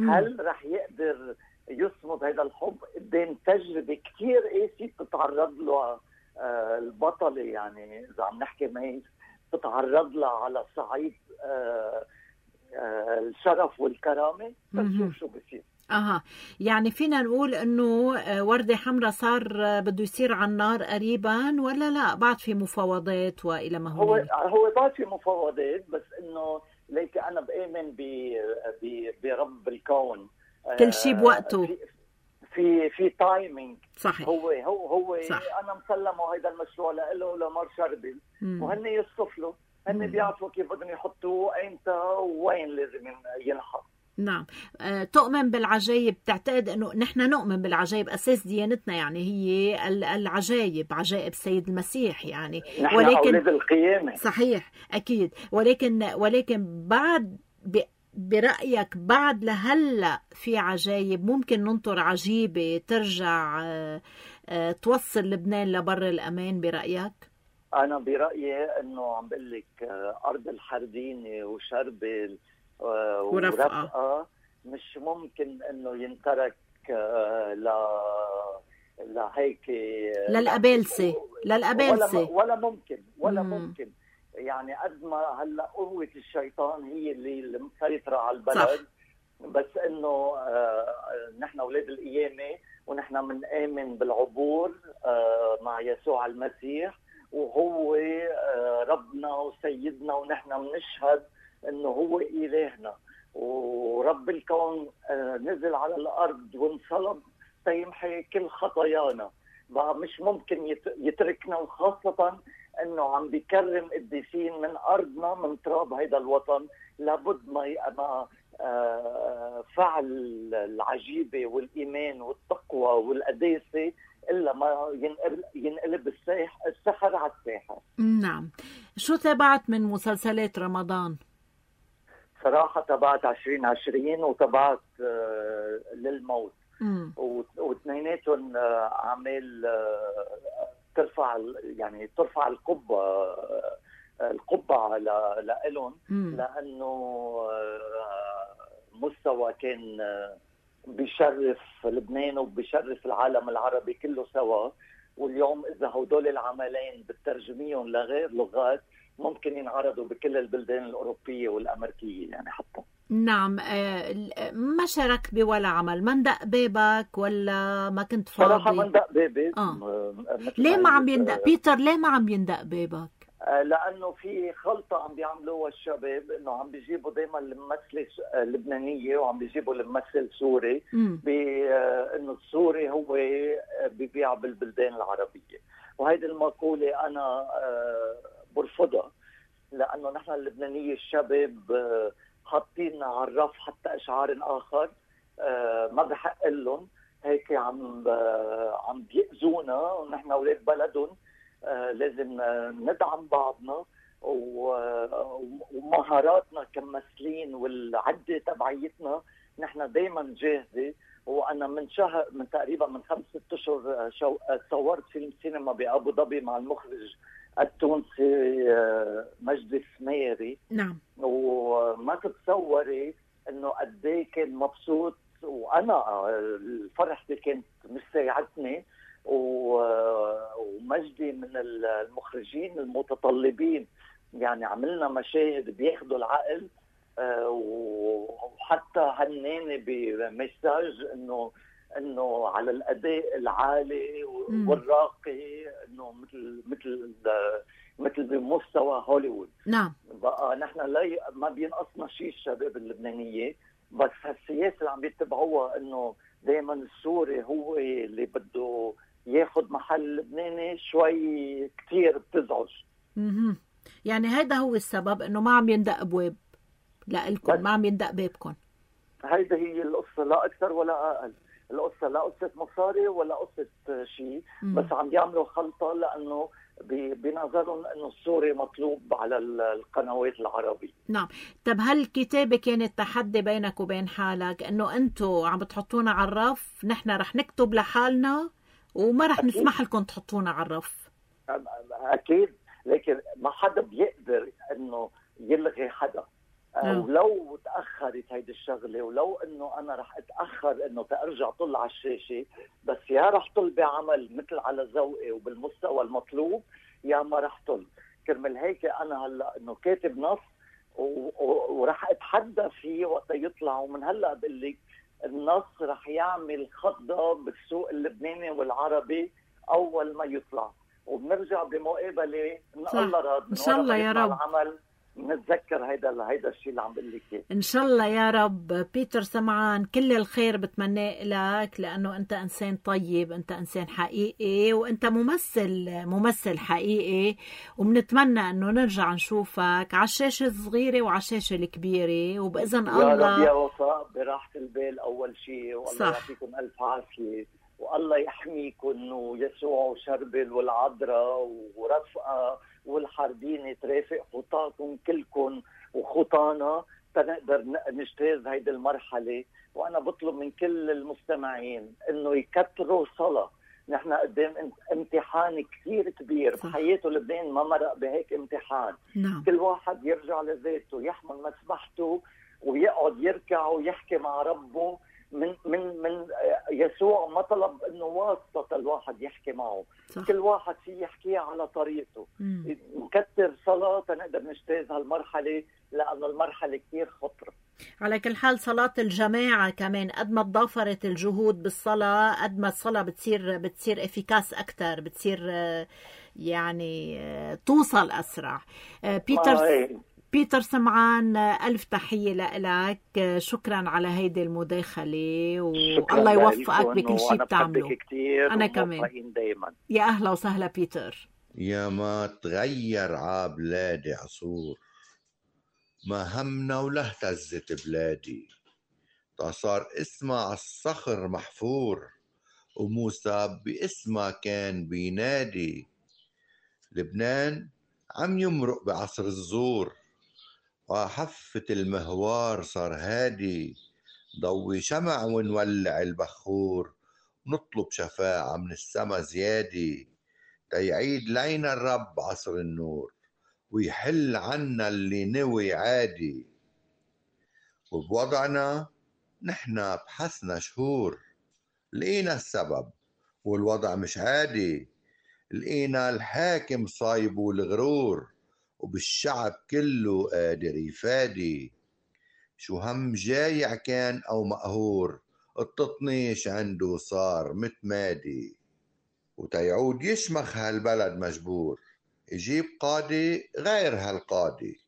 هل رح يقدر يصمد هذا الحب قدام تجربة كتير قاسية بتتعرض له آه البطلة، يعني إذا عم نحكي ميس بتتعرض لها على صعيد آه آه الشرف والكرامة. تنشوف شو بصير. اها يعني فينا نقول انه وردة حمراء صار بده يصير على النار قريبا ولا لا بعد في مفاوضات والى ما هو هو بعد في مفاوضات، بس انه ليك انا بآمن ب برب الكون، كل شيء بوقته، في في, في تايمينج. صحيح. هو هو هو صح. انا مسلمه هذا المشروع له ولمار شربل، وهن يصطفلوا، هن بيعرفوا كيف بدهم يحطوه ايمتى وين لازم ينحط. نعم. أه، تؤمن بالعجائب؟ تعتقد انه نحن نؤمن بالعجائب، اساس ديانتنا يعني هي العجائب، عجائب السيد المسيح يعني، نحن ولكن اولاد القيامة. صحيح اكيد، ولكن ولكن بعد ب... برأيك بعد لهلا في عجائب ممكن ننطر عجيبة ترجع أه أه توصل لبنان لبر الأمان برأيك؟ أنا برأيي أنه عم بقول لك أرض الحردينة وشربل ورفقة مش ممكن انه ينترك ل لهيك للأبالسة للأبالسة ولا, ولا ممكن ولا مم. ممكن يعني قد ما هلا قوة الشيطان هي اللي مسيطرة على البلد. صح. بس انه آه نحن اولاد القيامة، ونحن بنآمن بالعبور آه مع يسوع المسيح، وهو آه ربنا وسيدنا، ونحن بنشهد انه هو الهنا ورب الكون نزل على الارض وانصلب تيمحي كل خطايانا. بقى مش ممكن يتركنا، وخاصة انه عم بيكرم قديسين من ارضنا من تراب هيدا الوطن. لابد ما فعل العجيبة والايمان والتقوى والقداسة الا ما ينقلب, ينقلب السحر على الساحر. نعم. شو تابعت من مسلسلات رمضان؟ صراحة تبعت عشرين عشرين وتبعت للموت، واثنيناتهم أعمال ترفع يعني ترفع القبة القبة لإلهم، لأنه مستوى كان بيشرف لبنان وبيشرف العالم العربي كله سوا. واليوم إذا هدول العملين بترجميهم لغير لغات ممكن ينعرضوا بكل البلدان الأوروبية والأمريكية يعني حتى. نعم. ما شاركت بولا عمل؟ ما ندق بابك ولا ما كنت فاضي؟ صراحة ما ندق بابي. آه. ليه ما عم يندق بيتر؟ ليه ما عم يندق بابك؟ لأنه في خلطة عم بيعملوها الشباب، إنه عم بيجيبوا دايما الممثلة لبنانية وعم بيجيبوا الممثل سوري، بإنه السوري هو بيبيع بالبلدان العربية. وهيدي المقولة أنا برفضها، لأنه نحن اللبنانية الشباب حاطين على الرف حتى إشعار آخر آه ما بحق لهم هيك عم آه عم بيأذونا، ونحن اولاد بلدهم. آه لازم ندعم بعضنا، ومهاراتنا كممثلين والعده تبعيتنا نحن دائما جاهزه. وانا من شهر من تقريبا من خمس ست اشهر شو... صورت فيلم سينما بابو ظبي مع المخرج التونسي مجدي السميري. نعم. وما تتصوري انه قد ايه كان مبسوط، وانا فرحتي كانت مش ساعدتني. ومجدي من المخرجين المتطلبين، يعني عملنا مشاهد بياخدوا العقل. وحتى هناني بمساج انه انه على الاداء العالي والراقي، انه مثل مثل مثل بمستوى هوليوود. نعم. بقى نحن لا ما بينقصنا شيء الشباب اللبنانيه، بس هالسياسه اللي عم بيتبعوها انه دائما السوري هو اللي بده ياخذ محل اللبناني، شوي كثير بتزعج. اها يعني هيدا هو السبب انه ما عم يندق ابواب لإلكم، ما عم يندق بابكم. هيدا هي القصه، لا اكثر ولا اقل. القصه لا قصه مصاري ولا قصه شيء، بس عم بيعملوا خلطه لانه بنظرهم انه السوري مطلوب على القنوات العربيه. نعم. طب هل الكتابه كانت تحدي بينك وبين حالك، انه انتم عم بتحطونا على الرف، نحن رح نكتب لحالنا وما رح أكيد. نسمح لكم تحطونا على الرف؟ اكيد، لكن ما حدا بيقدر انه يلغي حدا. أه. ولو تاخرت هيدي الشغله، ولو انه انا رح اتاخر انه تارجع طل على الشاشه، بس يا رح طل بعمل مثل على ذوقي وبالمستوى المطلوب، يا ما رح طل. كرمال هيك انا هلا انه كاتب نص ورح اتحدى فيه وقت يطلع. ومن هلا بقول لك النص رح يعمل خضه بالسوق اللبناني والعربي اول ما يطلع، وبنرجع بمقابله ان الله راضي ان شاء الله يا رب العمل نتذكر هيدا هيدا الشيء اللي عم بقول لك. ان شاء الله يا رب. بيتر سمعان، كل الخير بتمناه لك، لانه انت انسان طيب، انت انسان حقيقي، وانت ممثل ممثل حقيقي، وبنتمنى انه نرجع نشوفك على الشاشه الصغيره وعلى الشاشه الكبيره، وباذن يا الله رب يا وفاء براحه البال اول شيء. والله يعطيكم الف عافيه، والله يحميكم، ويسوع وشربل والعذراء ورفقه والحربين ترافق خطاكم كلكم وخطانا تنقدر نجتاز هيدي المرحله. وانا بطلب من كل المستمعين انه يكتروا صلاه. نحن قدام امتحان كثير كبير بحياته. لبنان ما مرق بهيك امتحان. نعم. كل واحد يرجع لذاته، يحمل مسبحته ويقعد يركع ويحكي مع ربه. من من من يسوع ما طلب انه واسطه الواحد يحكي معه. صح. كل واحد فيه يحكيها على طريقته. مم. نكتر صلاه تنقدر نجتاز هالمرحله، لانه المرحله كثير خطره. على كل حال صلاه الجماعه كمان قد ما تضافرت الجهود بالصلاه، قد ما الصلاه بتصير بتصير افيكاس اكثر، بتصير يعني توصل اسرع. بيتر آه بيتر سمعان، ألف تحية لك، شكرا على هيدي المداخلة، والله يوفقك بكل شيء بتعمله. أنا كمان دايما. يا أهلا وسهلا بيتر. يا ما تغير عبلادي عصور، ما همنا ولا اهتزت بلادي، صار اسمها عالصخر محفور، وموسى باسمها كان بينادي. لبنان عم يمرق بعصر الزور، وحفة المهوار صار هادي، ضوي شمع ونولع البخور، نطلب شفاعة من السما زيادي، تيعيد لينا الرب عصر النور، ويحل عنا اللي نوي عادي. وبوضعنا نحنا بحسنا شهور، لقينا السبب والوضع مش عادي، لقينا الحاكم صايب والغرور، وبالشعب كله قادر يفادي. شو هم جايع كان أو مقهور، التطنيش عنده صار متمادي، وتيعود يشمخ هالبلد مجبور، يجيب قاضي غير هالقاضي،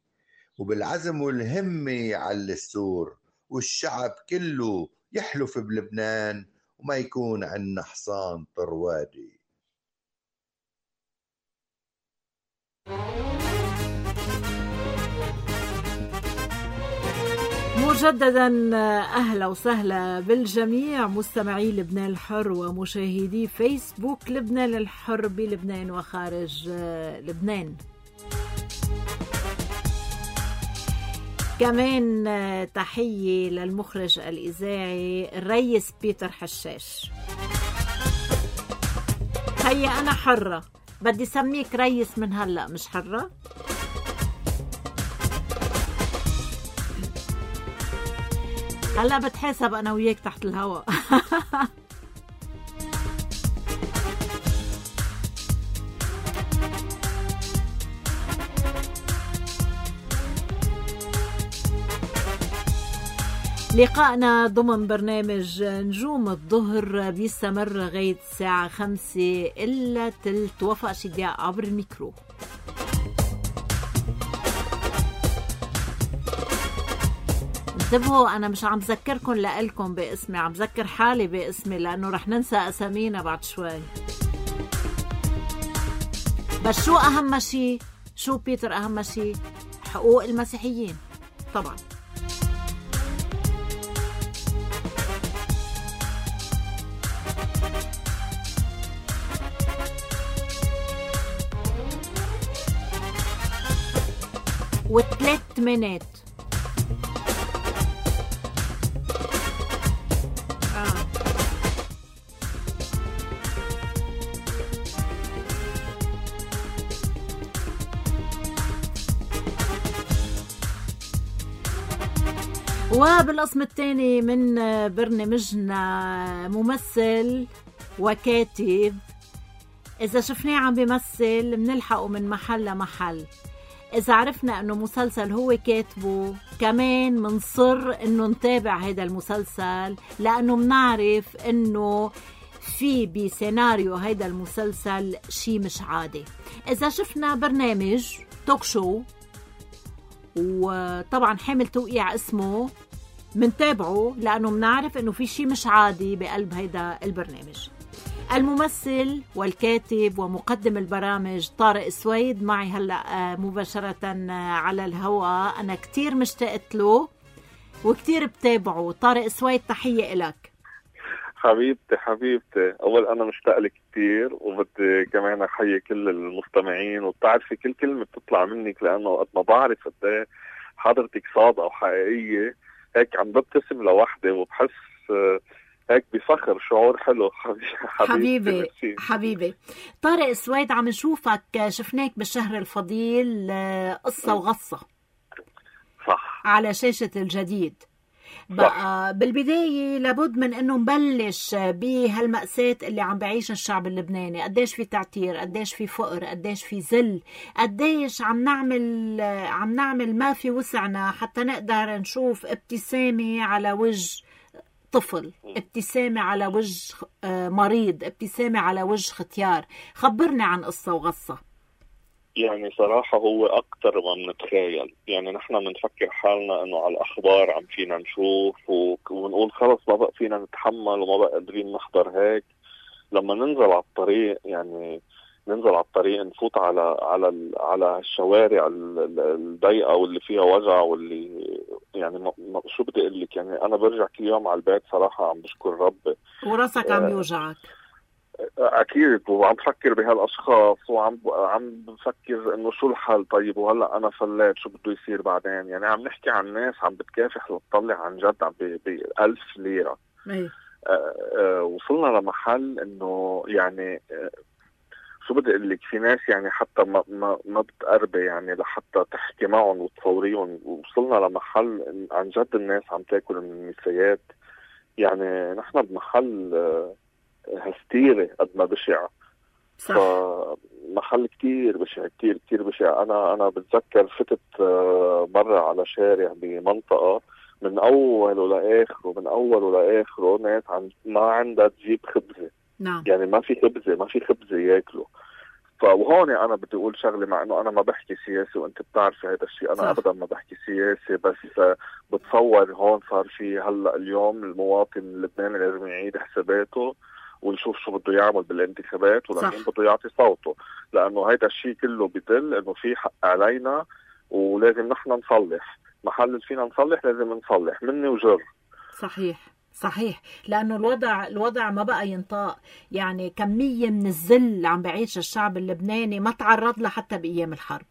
وبالعزم والهمة يعلي السور، والشعب كله يحلف بلبنان، وما يكون عنا حصان طروادي. مجددا أهلا وسهلا بالجميع مستمعي لبنان الحر ومشاهدي فيسبوك لبنان الحر بلبنان وخارج لبنان. كمان تحية للمخرج الإذاعي الريس بيتر حشاش. هيا أنا حرة، بدي سميك ريس من هلأ، مش حرة؟ هلا بتحاسب انا وياك تحت الهواء. لقاءنا ضمن برنامج نجوم الظهر بيستمر لغاية الساعة خمسة إلا تلت. وفاء شدياء عبر الميكرو. انتبهوا، أنا مش عم ذكركم لألكم باسمي، عم ذكر حالي باسمي لأنه رح ننسى أسامينا بعد شوي. بس شو أهم شيء؟ شو بيتر أهم شيء؟ حقوق المسيحيين طبعا. وثلاث منات آه. وبالقسم الثاني من برنامجنا ممثل وكاتب، إذا شفناه عم بيمثل منلحقه من محل لمحل. إذا عرفنا أنه مسلسل هو كاتبه كمان منصر أنه نتابع هذا المسلسل، لأنه منعرف أنه في بسيناريو هذا المسلسل شي مش عادي. إذا شفنا برنامج توك شو وطبعا حامل توقيع اسمه منتابعه، لأنه منعرف أنه في شي مش عادي بقلب هذا البرنامج. الممثل والكاتب ومقدم البرامج طارق سويد معي هلأ مباشرة على الهواء. أنا كتير مشتاقت له وكتير بتابعه. طارق سويد، تحية إلك. حبيبتي حبيبتي، أول أنا مشتاق لك كتير، وبدي كمان أحيي كل المستمعين. وبتعرفي كل كلمة بتطلع منك، لأنه قد ما بعرف قد حضرتك صادقة وحقيقية، هيك عم ببتسم لوحدي وبحس هيك بفخر، شعور حلو. حبيبي حبيبي, حبيبي. طارق سويد، عم نشوفك، شفناك بالشهر الفضيل قصة وغصة صح على شاشة الجديد. بقى بالبداية لابد من انه نبلش بهالمأساة اللي عم بعيش الشعب اللبناني. قديش في تعتير، قديش في فقر، قديش في ذل، قديش عم نعمل عم نعمل ما في وسعنا حتى نقدر نشوف ابتسامة على وجه طفل، ابتسامة على وجه مريض، ابتسامة على وجه ختيار. خبرنا عن قصة وغصة. يعني صراحة هو أكتر ما بنتخيل. يعني نحن بنفكر حالنا إنه على الأخبار عم فينا نشوف ونقول خلص ما بقى فينا نتحمل وما بقى قادرين نحضر هيك. لما ننزل على الطريق، يعني ننزل على الطريق نفوت على على على الشوارع الضيقة واللي فيها وجع واللي يعني ما شو بدي أقول لك. يعني أنا برجع كل يوم على البيت صراحة عم بشكر ربي. وراسك عم يوجعك أكيد، وعم بفكر بهالأشخاص وعم عم بفكر إنه شو الحل. طيب وهلأ أنا فليت، شو بده يصير بعدين؟ يعني عم نحكي عن ناس عم بتكافح لتطلع عن جد عم بألف ليرة. أي. آه آه وصلنا لمحل إنه يعني آه شو بدي أقول لك، في ناس يعني حتى ما ما ما بتقربي يعني لحتى تحكي معهم وتصوريهم. وصلنا لمحل عن جد الناس عم تاكل من النسيات. يعني نحن بمحل آه هستيري قد ما بشع. صح. محل كتير بشع، كتير كتير بشع. أنا أنا بتذكر فتت مرة على شارع بمنطقة من أوله لآخره من أوله لآخره ناس عن ما عندها تجيب خبزة. نعم. يعني ما في خبزة ما في خبزة ياكلوا. فوهون أنا بدي أقول شغلة، مع إنه أنا ما بحكي سياسي وأنت بتعرفي هذا الشيء، أنا صح. أبدا ما بحكي سياسي، بس بتصور هون صار في هلأ اليوم المواطن اللبناني لازم يعيد حساباته ونشوف شو بده يعمل بالانتخابات ولكن بده يعطي صوته، لأنه هيدا الشيء كله بدل إنه في حق علينا ولازم نحن نصلح. محل اللي فينا نصلح لازم نصلح مني وجر. صحيح صحيح، لأنه الوضع الوضع ما بقى ينطاق، يعني كمية من الذل عم بعيش الشعب اللبناني ما تعرض له حتى بأيام الحرب.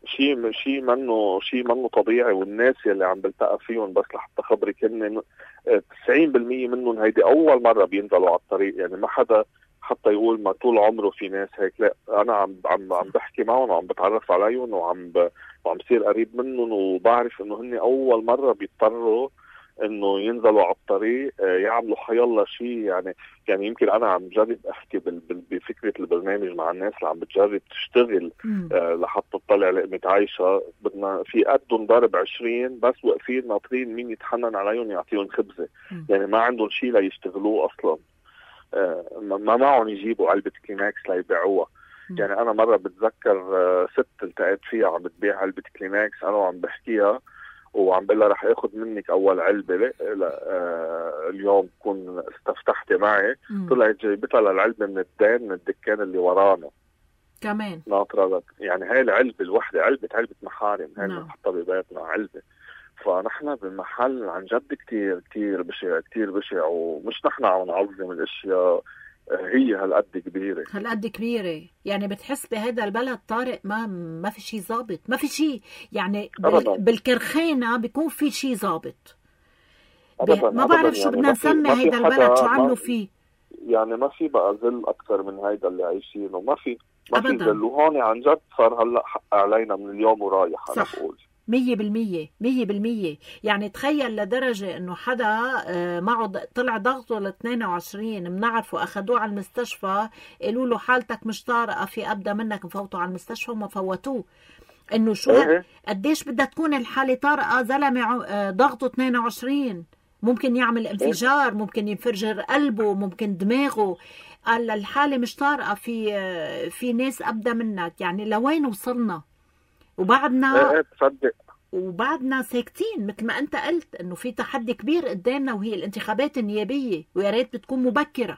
شيء شيء منه شيء منه طبيعي، والناس يلي عم بلتقى فيهم بس لحتى خبرك هن تسعين بالمية منهم هيدي أول مرة بينزلوا على الطريق، يعني ما حدا حتى يقول ما طول عمره في ناس هيك، لا أنا عم عم عم بحكي معهم وعم بتعرف عليهم وعم ب... وعم بصير قريب منهم، وبعرف إنه هن أول مرة بيضطروا انه ينزلوا على الطريق يعملوا حيالله شيء. يعني يعني يمكن انا عم جرب احكي بفكره البرنامج مع الناس اللي عم بتجرب تشتغل آه لحتى تطلع لقمه عايشه، بدنا في قدهم ضرب عشرين بس واقفين ناطرين مين يتحنن عليهم يعطيهم خبزه. مم. يعني ما عندهم شيء ليشتغلوه اصلا، آه ما معهم يجيبوا علبه كلينكس ليبيعوها. يعني انا مره بتذكر آه ست التقيت فيها عم بتبيع علبه كلينكس، انا وعم بحكيها وعم بقول لها رح اخذ منك اول علبه لا آه اليوم تكون استفتحتي معي. طلعت جايبتها للعلبه من الدين من الدكان اللي ورانا كمان ناطره لك. يعني هاي العلبه الوحده علبه علبه محارم، هاي اللي بنحطها ببيتنا علبه. فنحن بالمحل عن جد كتير كتير بشع كتير بشع، ومش نحن عم نعظم الاشياء، هي هالقد كبيرة هالقد كبيرة. يعني بتحس بهذا البلد طارق ما ما في شيء ظابط، ما في شيء يعني بال... بالكرخانة بيكون في شيء ظابط. ما بعرف شو بدنا نسمي هيدا البلد شو عملوا فيه. يعني ما في بقى ذل أكثر من هيدا اللي عايشينه، ما في ما في ذل. وهون عن جد صار هلا حق علينا من اليوم ورايح. أنا بقول مية بالمية مية بالمية. يعني تخيل لدرجة انه حدا معه طلع ضغطه ل اثنين وعشرين، بنعرفه اخذوه على المستشفى، قالوا له حالتك مش طارئة في ابدا منك، مفوتوا على المستشفى وما فوتوه. انه شو إيه؟ قديش بدها تكون الحالة طارئة؟ زلمة ضغطه اثنين وعشرين ممكن يعمل انفجار، ممكن ينفجر قلبه، ممكن دماغه. قال الحالة مش طارئة، في في ناس ابدا منك. يعني لوين وصلنا؟ وبعدنا ايه تصدق وبعدنا ساكتين مثل ما انت قلت انه في تحدي كبير قدامنا وهي الانتخابات النيابيه، ويا ريت بتكون مبكره.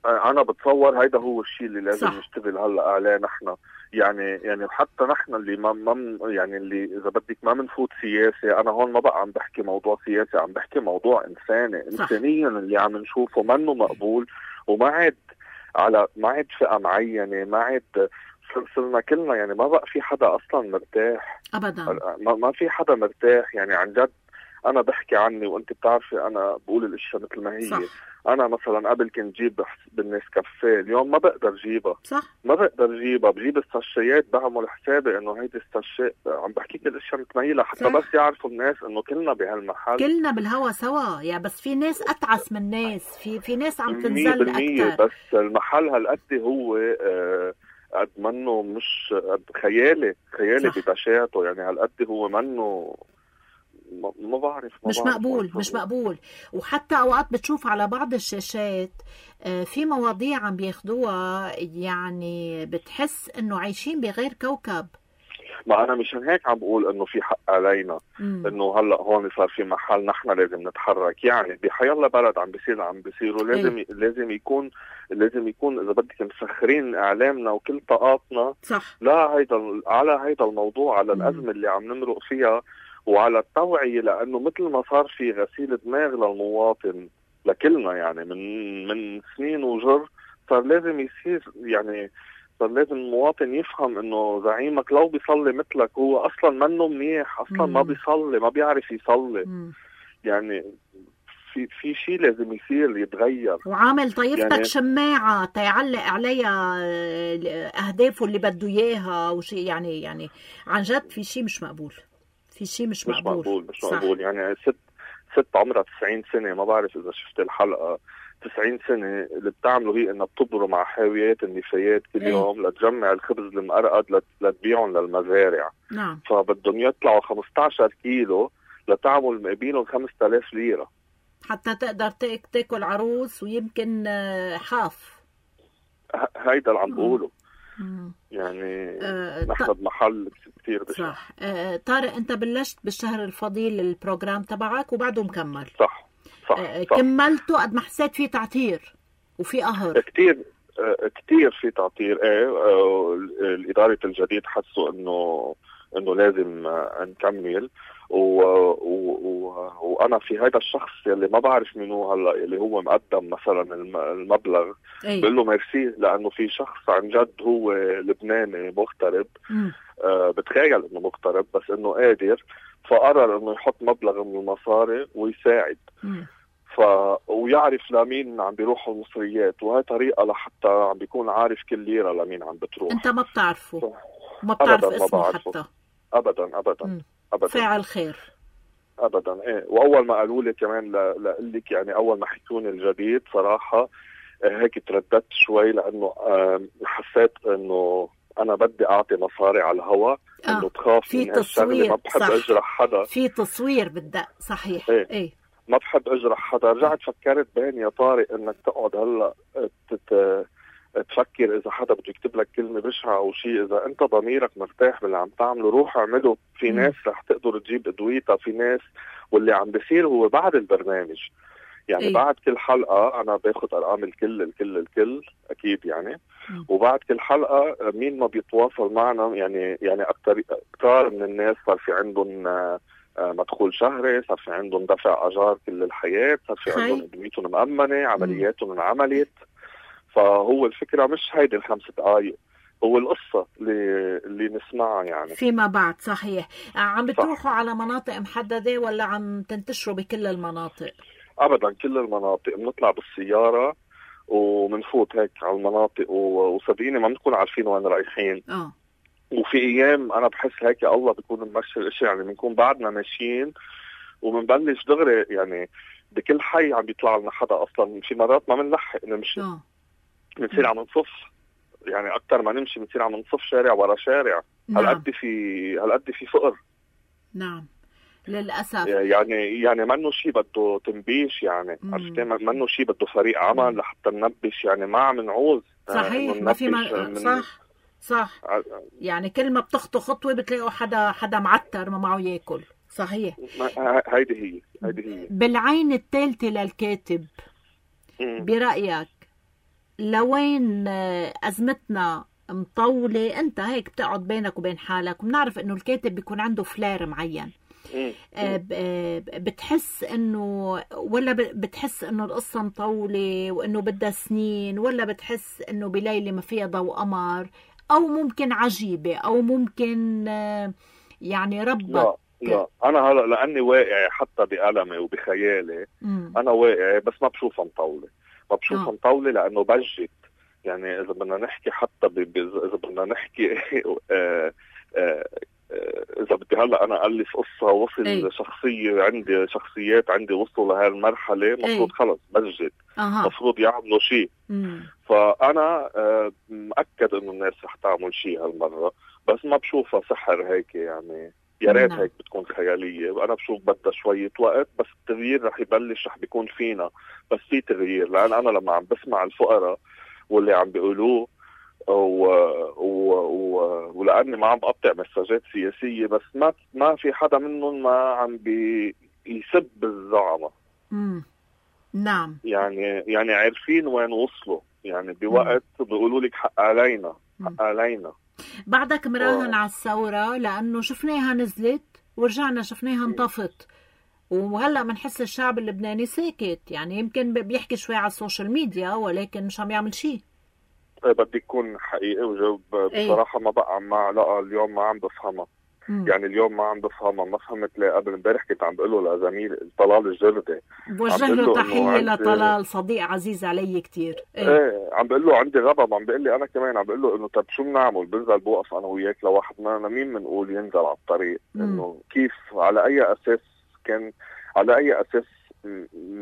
انا بتصور هيدا هو الشيء اللي لازم صح. نشتغل هلا عليه نحن. يعني يعني حتى نحن اللي ما, ما يعني اللي اذا بدك ما بنفوت سياسه. انا هون ما بقى عم بحكي موضوع سياسي، عم بحكي موضوع انساني. صح. انسانيا اللي عم نشوفه منه مقبول، وما عاد على ما عاد فئه معينه، ما عاد صرنا كلنا. يعني ما بقى في حدا اصلا مرتاح ابدا، ما, ما في حدا مرتاح. يعني عن جد انا بحكي عني وانت بتعرفي انا بقول الاشياء مثل ما هي. صح. انا مثلا قبل كنت جيب بالناس كافيه، اليوم ما بقدر جيبها. صح. ما بقدر جيبها، بجيب الساشيات بعمل حسابي انه هيدي الساشيات عم بحكيك الاشياء متميله حتى صح. بس يعرفوا الناس انه كلنا بهالمحل، كلنا بالهوا سوا. يا بس في ناس اتعس من ناس، في في ناس عم تنزل اكثر. بس المحل هالقد هو آه قد منه مش قد خيالي خيالي ببشاعته. يعني هالقد هو منه ما, ما بعرف ما مش بعرف مقبول مش مقبول. وحتى اوقات بتشوف على بعض الشاشات في مواضيع عم بياخدوها، يعني بتحس انه عايشين بغير كوكب. ما انا مشان هيك عم بقول انه في حق علينا. مم. انه هلا هون صار في محل نحن لازم نتحرك. يعني بحيالله بلد عم بيصير عم بيصير ولازم ايه؟ لازم يكون لازم يكون اذا بدك مسخرين اعلامنا وكل طاقاتنا صح. لا هيدا على هيدا الموضوع، على الازمه اللي عم نمرق فيها وعلى التوعيه. لانه مثل ما صار في غسيل دماغ للمواطن لكلنا، يعني من من سنين وجر صار لازم يصير. يعني صار لازم المواطن يفهم انه زعيمك لو بيصلي مثلك هو اصلا منه منيح، اصلا مم. ما بيصلي، ما بيعرف يصلي. مم. يعني في في شيء لازم يصير يتغير. وعامل طيفتك يعني شماعه تيعلق عليها اهدافه اللي بده اياها وشيء. يعني يعني عن جد في شيء مش مقبول، في شيء مش, مش مقبول مقبول مش مقبول. يعني ست ست عمرها تسعين سنه، ما بعرف اذا شفت الحلقه. تسعين سنة اللي بتعمله هي انها بتبرم مع حاويات النفايات كل يوم لتجمع الخبز المقرقد لتبيعهم للمزارع. نعم. فبدهم يطلعوا خمسة عشر كيلو لتعمل مقابلهم خمسة آلاف ليرة حتى تقدر تاكل عروس ويمكن حاف. هيدا اللي عم بقوله. يعني أه نحن بمحل كتير بشع. صح. أه طارق انت بلشت بالشهر الفضيل البروجرام تبعك وبعده مكمل. صح صح, أه صح. كملته قد ما حسيت فيه تعتير وفي قهر كتير. أه كتير في تعتير. ايه أه الإدارة الجديد حسوا انه انه لازم نكمل و... و... و... وانا في هذا الشخص اللي ما بعرف منو هلا اللي هو مقدم مثلا المبلغ بقول له ميرسي، لانه في شخص عن جد هو لبناني مغترب، آه بتخيل انه مغترب بس انه قادر، فقرر انه يحط مبلغ من المصاري ويساعد. مم. ف ويعرف لمين عم بيروحوا المصريات، وهي طريقه لحتى عم بيكون عارف كل ليره لمين عم بتروح. انت ما بتعرفه ف... ما بتعرف أبداً اسمه ما حتى ابدا ابدا مم. ابدا فاعل خير ابدا. ايه واول ما قالوا لي كمان لاقول لك يعني اول ما حكوني الجديد صراحه هيك ترددت شوي، لانه حسيت انه انا بدي اعطي مصاري على الهواء، آه. انه تخاف في من هالشغله، ما بحب صح. اجرح حدا، في تصوير بالدق صحيح. ايه, ايه. ما بحب اجرح حدا. رجعت فكرت بين يا طارق انك تقعد هلا تت... تفكر اذا حدا بده يكتب لك كلمه بشعه او شيء، اذا انت ضميرك مرتاح باللي عم تعمله روح اعمله. في م. ناس رح تقدر تجيب ادويتها، في ناس، واللي عم بيصير هو بعد البرنامج يعني إيه؟ بعد كل حلقه انا باخذ ارقام الكل الكل الكل اكيد يعني م. وبعد كل حلقه مين ما بيتواصل معنا يعني يعني اكثر كثار من الناس صار في عندهم مدخول شهري، صار في عندهم دفع اجار كل الحياه، صار في عندهم ادويتهم مأمنه، عملياتهم انعملت. فهو الفكرة مش هيدي الخمس دقايق، هو القصة اللي اللي نسمعها يعني فيما بعد. صحيح. عم بتروحوا على مناطق محددة ولا عم تنتشروا بكل المناطق؟ أبدا كل المناطق، بنطلع بالسيارة ومنفوت هيك على المناطق وصدقيني ما بنكون عارفين وين رايحين. اه وفي أيام أنا بحس هيك الله بيكون ممشي الأشياء، يعني بنكون بعدنا ماشيين ومنبلش دغري يعني بكل حي عم بيطلع لنا حدا، أصلا في مرات ما بنلحق نمشي اه بنصير عم نصف يعني اكثر ما نمشي بنصير عم نصف شارع ورا شارع. نعم. هالقد في هالقد في فقر. نعم للاسف. يعني يعني منه شيء بده تنبيش يعني عرفتي، منه شيء بده فريق عمل لحتى ننبش يعني ما عم نعوز. صحيح ما في ما... من... صح صح ع... يعني كل ما بتخطو خطوه بتلاقوا حدا حدا معتر ما معه ياكل. صحيح. هيدي هي هيدي هي بالعين الثالثه للكاتب م. برايك لوين أزمتنا مطولة؟ أنت هيك بتقعد بينك وبين حالك وبنعرف إنه الكاتب بيكون عنده فلير معين، بتحس إنه ولا بتحس إنه القصة مطولة وإنه بدها سنين، ولا بتحس إنه بليلة ما فيها ضوء قمر، أو ممكن عجيبة، أو ممكن يعني ربك؟ لا لا أنا هلا لأني واقع حتى بألمي وبخيالي م. أنا واقع بس ما بشوفها مطولة، ما بشوفها مطولة لأنه بجت يعني إذا بدنا نحكي حتى ب... إذا بدنا نحكي آه آه إذا بدي هلا أنا ألف قصة وصل أي. شخصية عندي شخصيات عندي وصلوا لهالمرحلة مفروض خلص بجت أه. مفروض يعملوا شيء. فأنا آه مأكد إنه الناس رح تعمل شيء هالمرة، بس ما بشوفها سحر هيك يعني، يا ريت هيك بتكون خيالية. أنا بشوف بدها شوية وقت بس التغيير رح يبلش، رح بيكون فينا بس في تغيير. لأن أنا لما عم بسمع الفقراء واللي عم بيقولوه و... و... و... ولأني ما عم بقطع مساجات سياسية بس ما ما في حدا منهم ما عم بيسب الزعماء. امم نعم يعني يعني عارفين وين وصلوا يعني بوقت بيقولوا لك حق علينا حق علينا. بعدك مراهن على الثورة لأنه شفناها نزلت ورجعنا شفناها انطفت، وهلأ منحس الشعب اللبناني ساكت، يعني يمكن بيحكي شوي على السوشيال ميديا ولكن مش عم يعمل شيء. بدي يكون حقيقي وجاوب بصراحة. ما بقى مع لا اليوم ما عم بفهمها، يعني اليوم ما عم بفهمها. ما فهمت ليه قبل امبارح كنت عم بقول له لزميل طلال الجردي، بوجه له تحية لطلال صديق عزيز علي كتير. ايه, ايه عم بقول له عندي غضب، عم بقول لي انا كمان، عم بقول له انه طب شو بنعمل؟ بنزل بوقف انا وياك لواحد ما مين بنقول ينزل على الطريق؟ انه كيف على اي اساس كان على اي اساس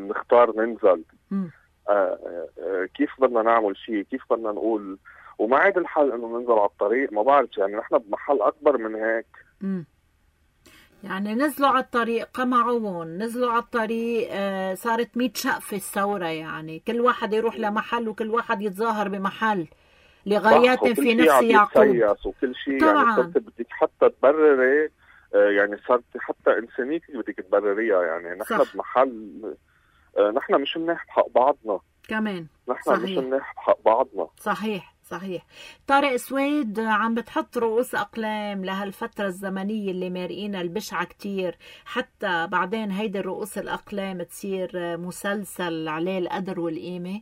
نختار ننزل؟ آه آه كيف بدنا نعمل شيء؟ كيف بدنا نقول؟ وما عاد الحل انه ننزل على الطريق. ما بعرف يعني نحن بمحل اكبر من هيك. امم يعني نزلوا على الطريق قمعون، نزلوا على الطريق آه صارت مية شقفة الثورة، يعني كل واحد يروح لمحل وكل واحد يتظاهر بمحل لغايات في نفس يعقوب. وكل شيء طبعا. يعني بدك حتى تبرري آه يعني صارت حتى انسانيتك بدك تبرريها. يعني نحن بمحل آه نحن مش مناح بحق بعضنا كمان. نحن مش مناح بحق بعضنا. صحيح صحيح. طارق سويد عم بتحط رؤوس أقلام لهالفترة الزمنية اللي مارقينها البشعة كتير، حتى بعدين هيدي الرؤوس الأقلام تصير مسلسل عليه القدر والقيمة.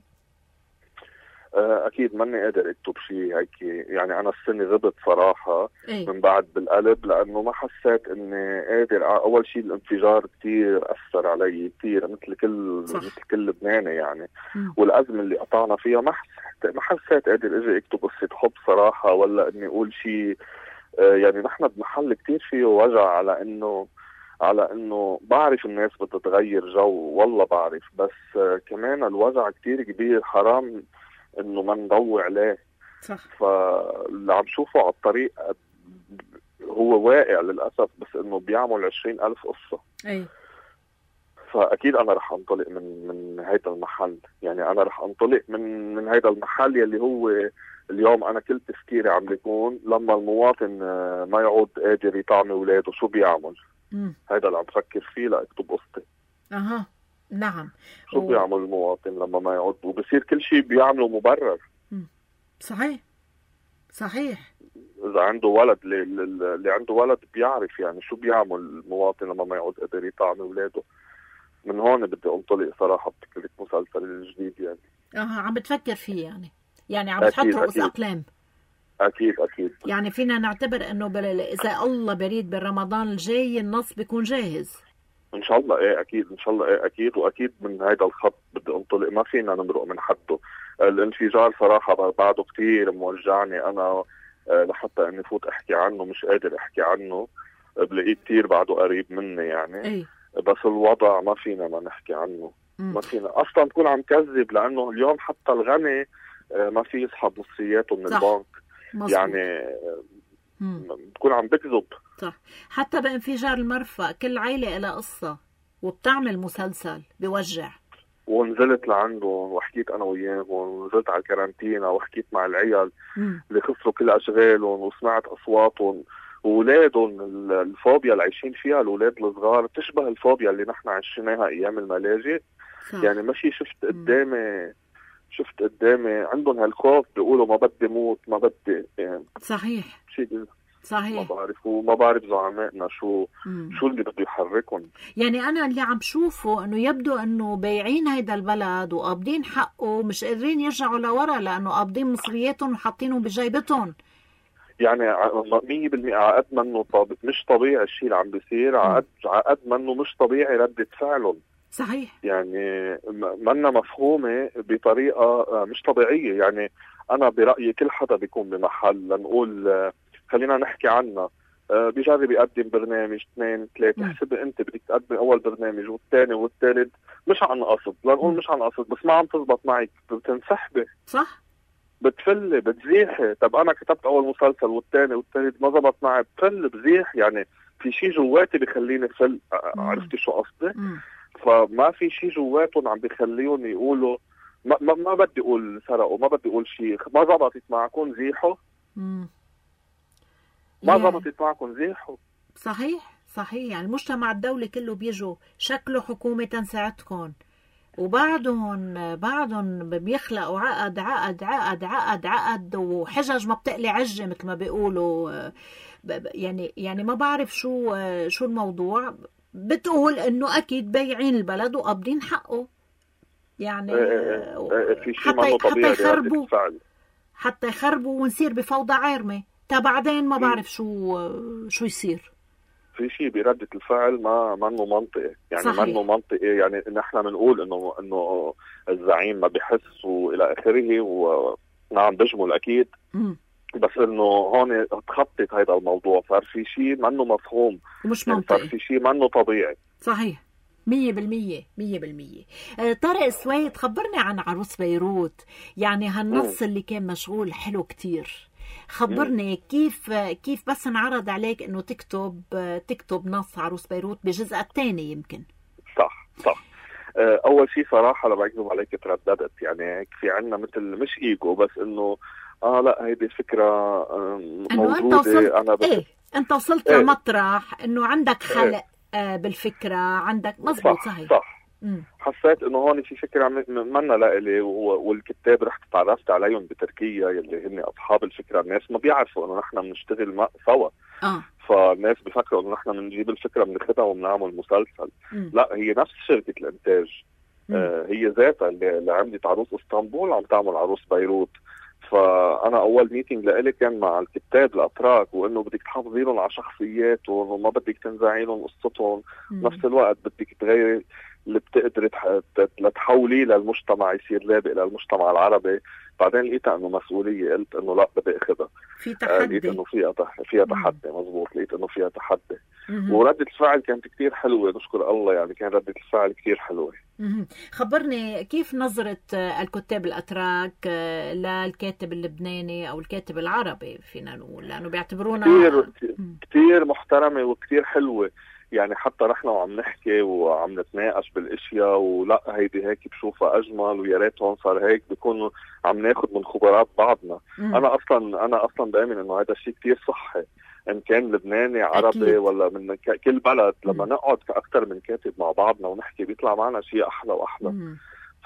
اكيد ماني قادر اكتب شيء هيك، يعني انا السنه غبت صراحه أي. من بعد بالقلب، لانه ما حسيت اني قادر. اول شيء الانفجار كثير اثر علي كثير، مثل كل صح. مثل كل لبناني يعني. م. والازمه اللي قطعنا فيها ما حسيت ما حسيت قادر اجي اكتب قصه حب صراحه، ولا اني اقول شيء. يعني نحن بمحل كثير فيه وجع، على انه على انه بعرف الناس بدها تغير جو، والله بعرف، بس كمان الوجع كثير كبير، حرام انه ما نضوي عليه. صح. فاللي عم شوفه على الطريق هو واقع للاسف، بس انه بيعمل عشرين الف قصه. اي. فاكيد انا رح انطلق من من هيدا المحل، يعني انا رح انطلق من من هيدا المحل يلي هو اليوم انا كل تفكيري عم بيكون لما المواطن ما يعود قادر يطعم اولاده شو بيعمل. م. هيدا اللي عم بفكر فيه لاكتب قصتي. اها نعم. شو و... بيعمل المواطن لما ما يعود، وبصير كل شيء بيعمله مبرر. م. صحيح صحيح. اذا عنده ولد، اللي, اللي عنده ولد بيعرف يعني شو بيعمل المواطن لما ما يعود قادر يطعم اولاده. من هون بدي انطلق صراحه بفكره مسلسل الجديد يعني. اها عم بتفكر فيه يعني يعني عم بتحط رؤوس اقلام. اكيد اكيد. يعني فينا نعتبر انه بل... اذا الله بريد بالرمضان الجاي النص بيكون جاهز ان شاء الله. ايه اكيد ان شاء الله. ايه اكيد. واكيد من هذا الخط بدي انطلق، ما فينا نمرق من حده. الانفجار صراحه بعده كتير موجعني انا، لحتى اني فوت احكي عنه مش قادر احكي عنه، بلاقيه كتير بعده قريب مني يعني. أي. بس الوضع ما فينا ما نحكي عنه. م. ما فينا اصلا نكون عم كذب، لانه اليوم حتى الغني ما في يسحب نصياته من صح. البنك. مصبوط. يعني بتكون عم بكذب. صح. حتى بانفجار المرفأ كل عائلة لها قصة، وبتعمل مسلسل بيوجع. ونزلت لعنده وحكيت انا وياه، ونزلت على الكارانتينا وحكيت مع العيال م. اللي خسروا كل اشغالهم، وسمعت اصواتهم واولادهم. الفوبيا اللي عايشين فيها الاولاد الصغار تشبه الفوبيا اللي نحن عشناها ايام الملاجئ. يعني ماشي شفت قدامي شفت قدامي عندهم هالخوف، بيقولوا ما بدي موت ما بدي يعني. صحيح شيء صحيح. ما بعرف وما بعرف زعمائنا شو مم. شو اللي بده يحركهم. يعني انا اللي عم شوفه انه يبدو انه بايعين هيدا البلد وقابضين حقه، مش قادرين يرجعوا لورا، لانه قابضين مصرياتهم وحاطينهم بجيبتهم. يعني مية بالمية عقد منه طب... مش طبيعي الشيء اللي عم بيصير، عقد عقد منه مش طبيعي ردة فعلهم. صحيح. يعني منا مفهومة بطريقة مش طبيعية. يعني أنا برأيي كل حدا بيكون بمحل، لنقول خلينا نحكي عنها، بيجرب يقدم برنامج اثنين ثلاثة، حسب أنت بدك تقدم أول برنامج والثاني والثالث مش عن قصد، لنقول مش عن قصد، بس ما عم تزبط معك بتنسحبي. صح. بتفلي بتزيحي. طب أنا كتبت أول مسلسل والثاني والثالث ما زبط معي، بفل بزيح. يعني في شيء جواتي بيخليني فل. عرفتي شو قصدي؟ فما في شيء جواتهم عم بيخليهم يقولوا ما, ما, ما بدي اقول سرقوا، ما بدي اقول شيء، ما زبطت معكم زيحوا. مم. ما زبطت معكم زيحوا. صحيح صحيح. يعني المجتمع الدولي كله بيجوا شكله حكومة تنساعدكم، وبعدهم بعدهم بيخلقوا عقد عقد عقد عقد عقد وحجج ما بتقلي عجة مثل ما بيقولوا. يعني يعني ما بعرف شو شو الموضوع. بتقول انه اكيد بايعين البلد وقابضين حقه. يعني في شيء ما طبيعي حتى يخربوا حتى يخربوا ونصير بفوضى عارمه. تا بعدين ما بعرف شو شو يصير. في شيء بردة الفعل ما منه منطقي. يعني صحيح. منه منطقي. يعني نحن بنقول انه انه الزعيم ما بحس والى اخره، ونعم بجمل اكيد. م. بس انه هون تخطط هذا الموضوع، صار في شيء منه مفهوم ومش منطقي. صار في شيء منه طبيعي. صحيح مية بالمية مية بالمية. آه طارق سويد، خبرني عن عروس بيروت. يعني هالنص م. اللي كان مشغول حلو كتير. خبرني م. كيف كيف بس انعرض عليك انه تكتب تكتب نص عروس بيروت بجزء الثاني يمكن. صح صح. اول شيء صراحه لما اكذب عليك ترددت. يعني في عنا مثل مش ايجو، بس انه اه لا هيدي فكره موجوده. انت وصلت انا بس... ايه انت وصلت إيه؟ لمطرح انه عندك خلق إيه؟ آه بالفكره عندك. مزبوط. صح صحيح صح مم. حسيت انه هون في فكره منا لإلي، والكتاب رحت تعرفت عليهم بتركيا يلي هن اصحاب الفكره. الناس ما بيعرفوا انه نحن بنشتغل سوا، اه فالناس بيفكروا انه نحن بنجيب الفكره بناخذها وبنعمل مسلسل. مم. لا، هي نفس شركه الانتاج. آه هي ذاتها اللي, اللي عملت عروس اسطنبول عم تعمل عروس بيروت. فانا اول ميتينج لإلي كان مع الكتاب الاتراك، وانه بدك تحافظي لهم على شخصياتهم وما بدك تنزعي لهم قصتهم، نفس الوقت بدك تغيري اللي بتقدري لتحوليه للمجتمع يصير لابق للمجتمع العربي. بعدين لقيت انه مسؤوليه، قلت انه لا بدي اخذها. في تحدي، لقيت انه فيها فيها تحدي. مزبوط، لقيت انه فيها تحدي. وردة الفعل كانت كتير حلوة، نشكر الله. يعني كان ردة الفعل كتير حلوة. خبرني كيف نظرة الكتاب الأتراك للكاتب اللبناني أو الكاتب العربي فينا نقول، لأنه بيعتبرونا كتير, كتير محترمة وكتير حلوة. يعني حتى نحن وعم نحكي وعم نتناقش بالاشياء، ولا هيدي هيك بشوفها اجمل ويا ريت هون صار هيك، بيكونوا عم ناخذ من خبرات بعضنا. مم. انا اصلا انا اصلا بامن انه هذا الشيء كتير صحي، ان كان لبناني عربي أكيد. ولا من كل بلد. لما مم. نقعد كاكثر من كاتب مع بعضنا ونحكي بيطلع معنا شيء احلى واحلى.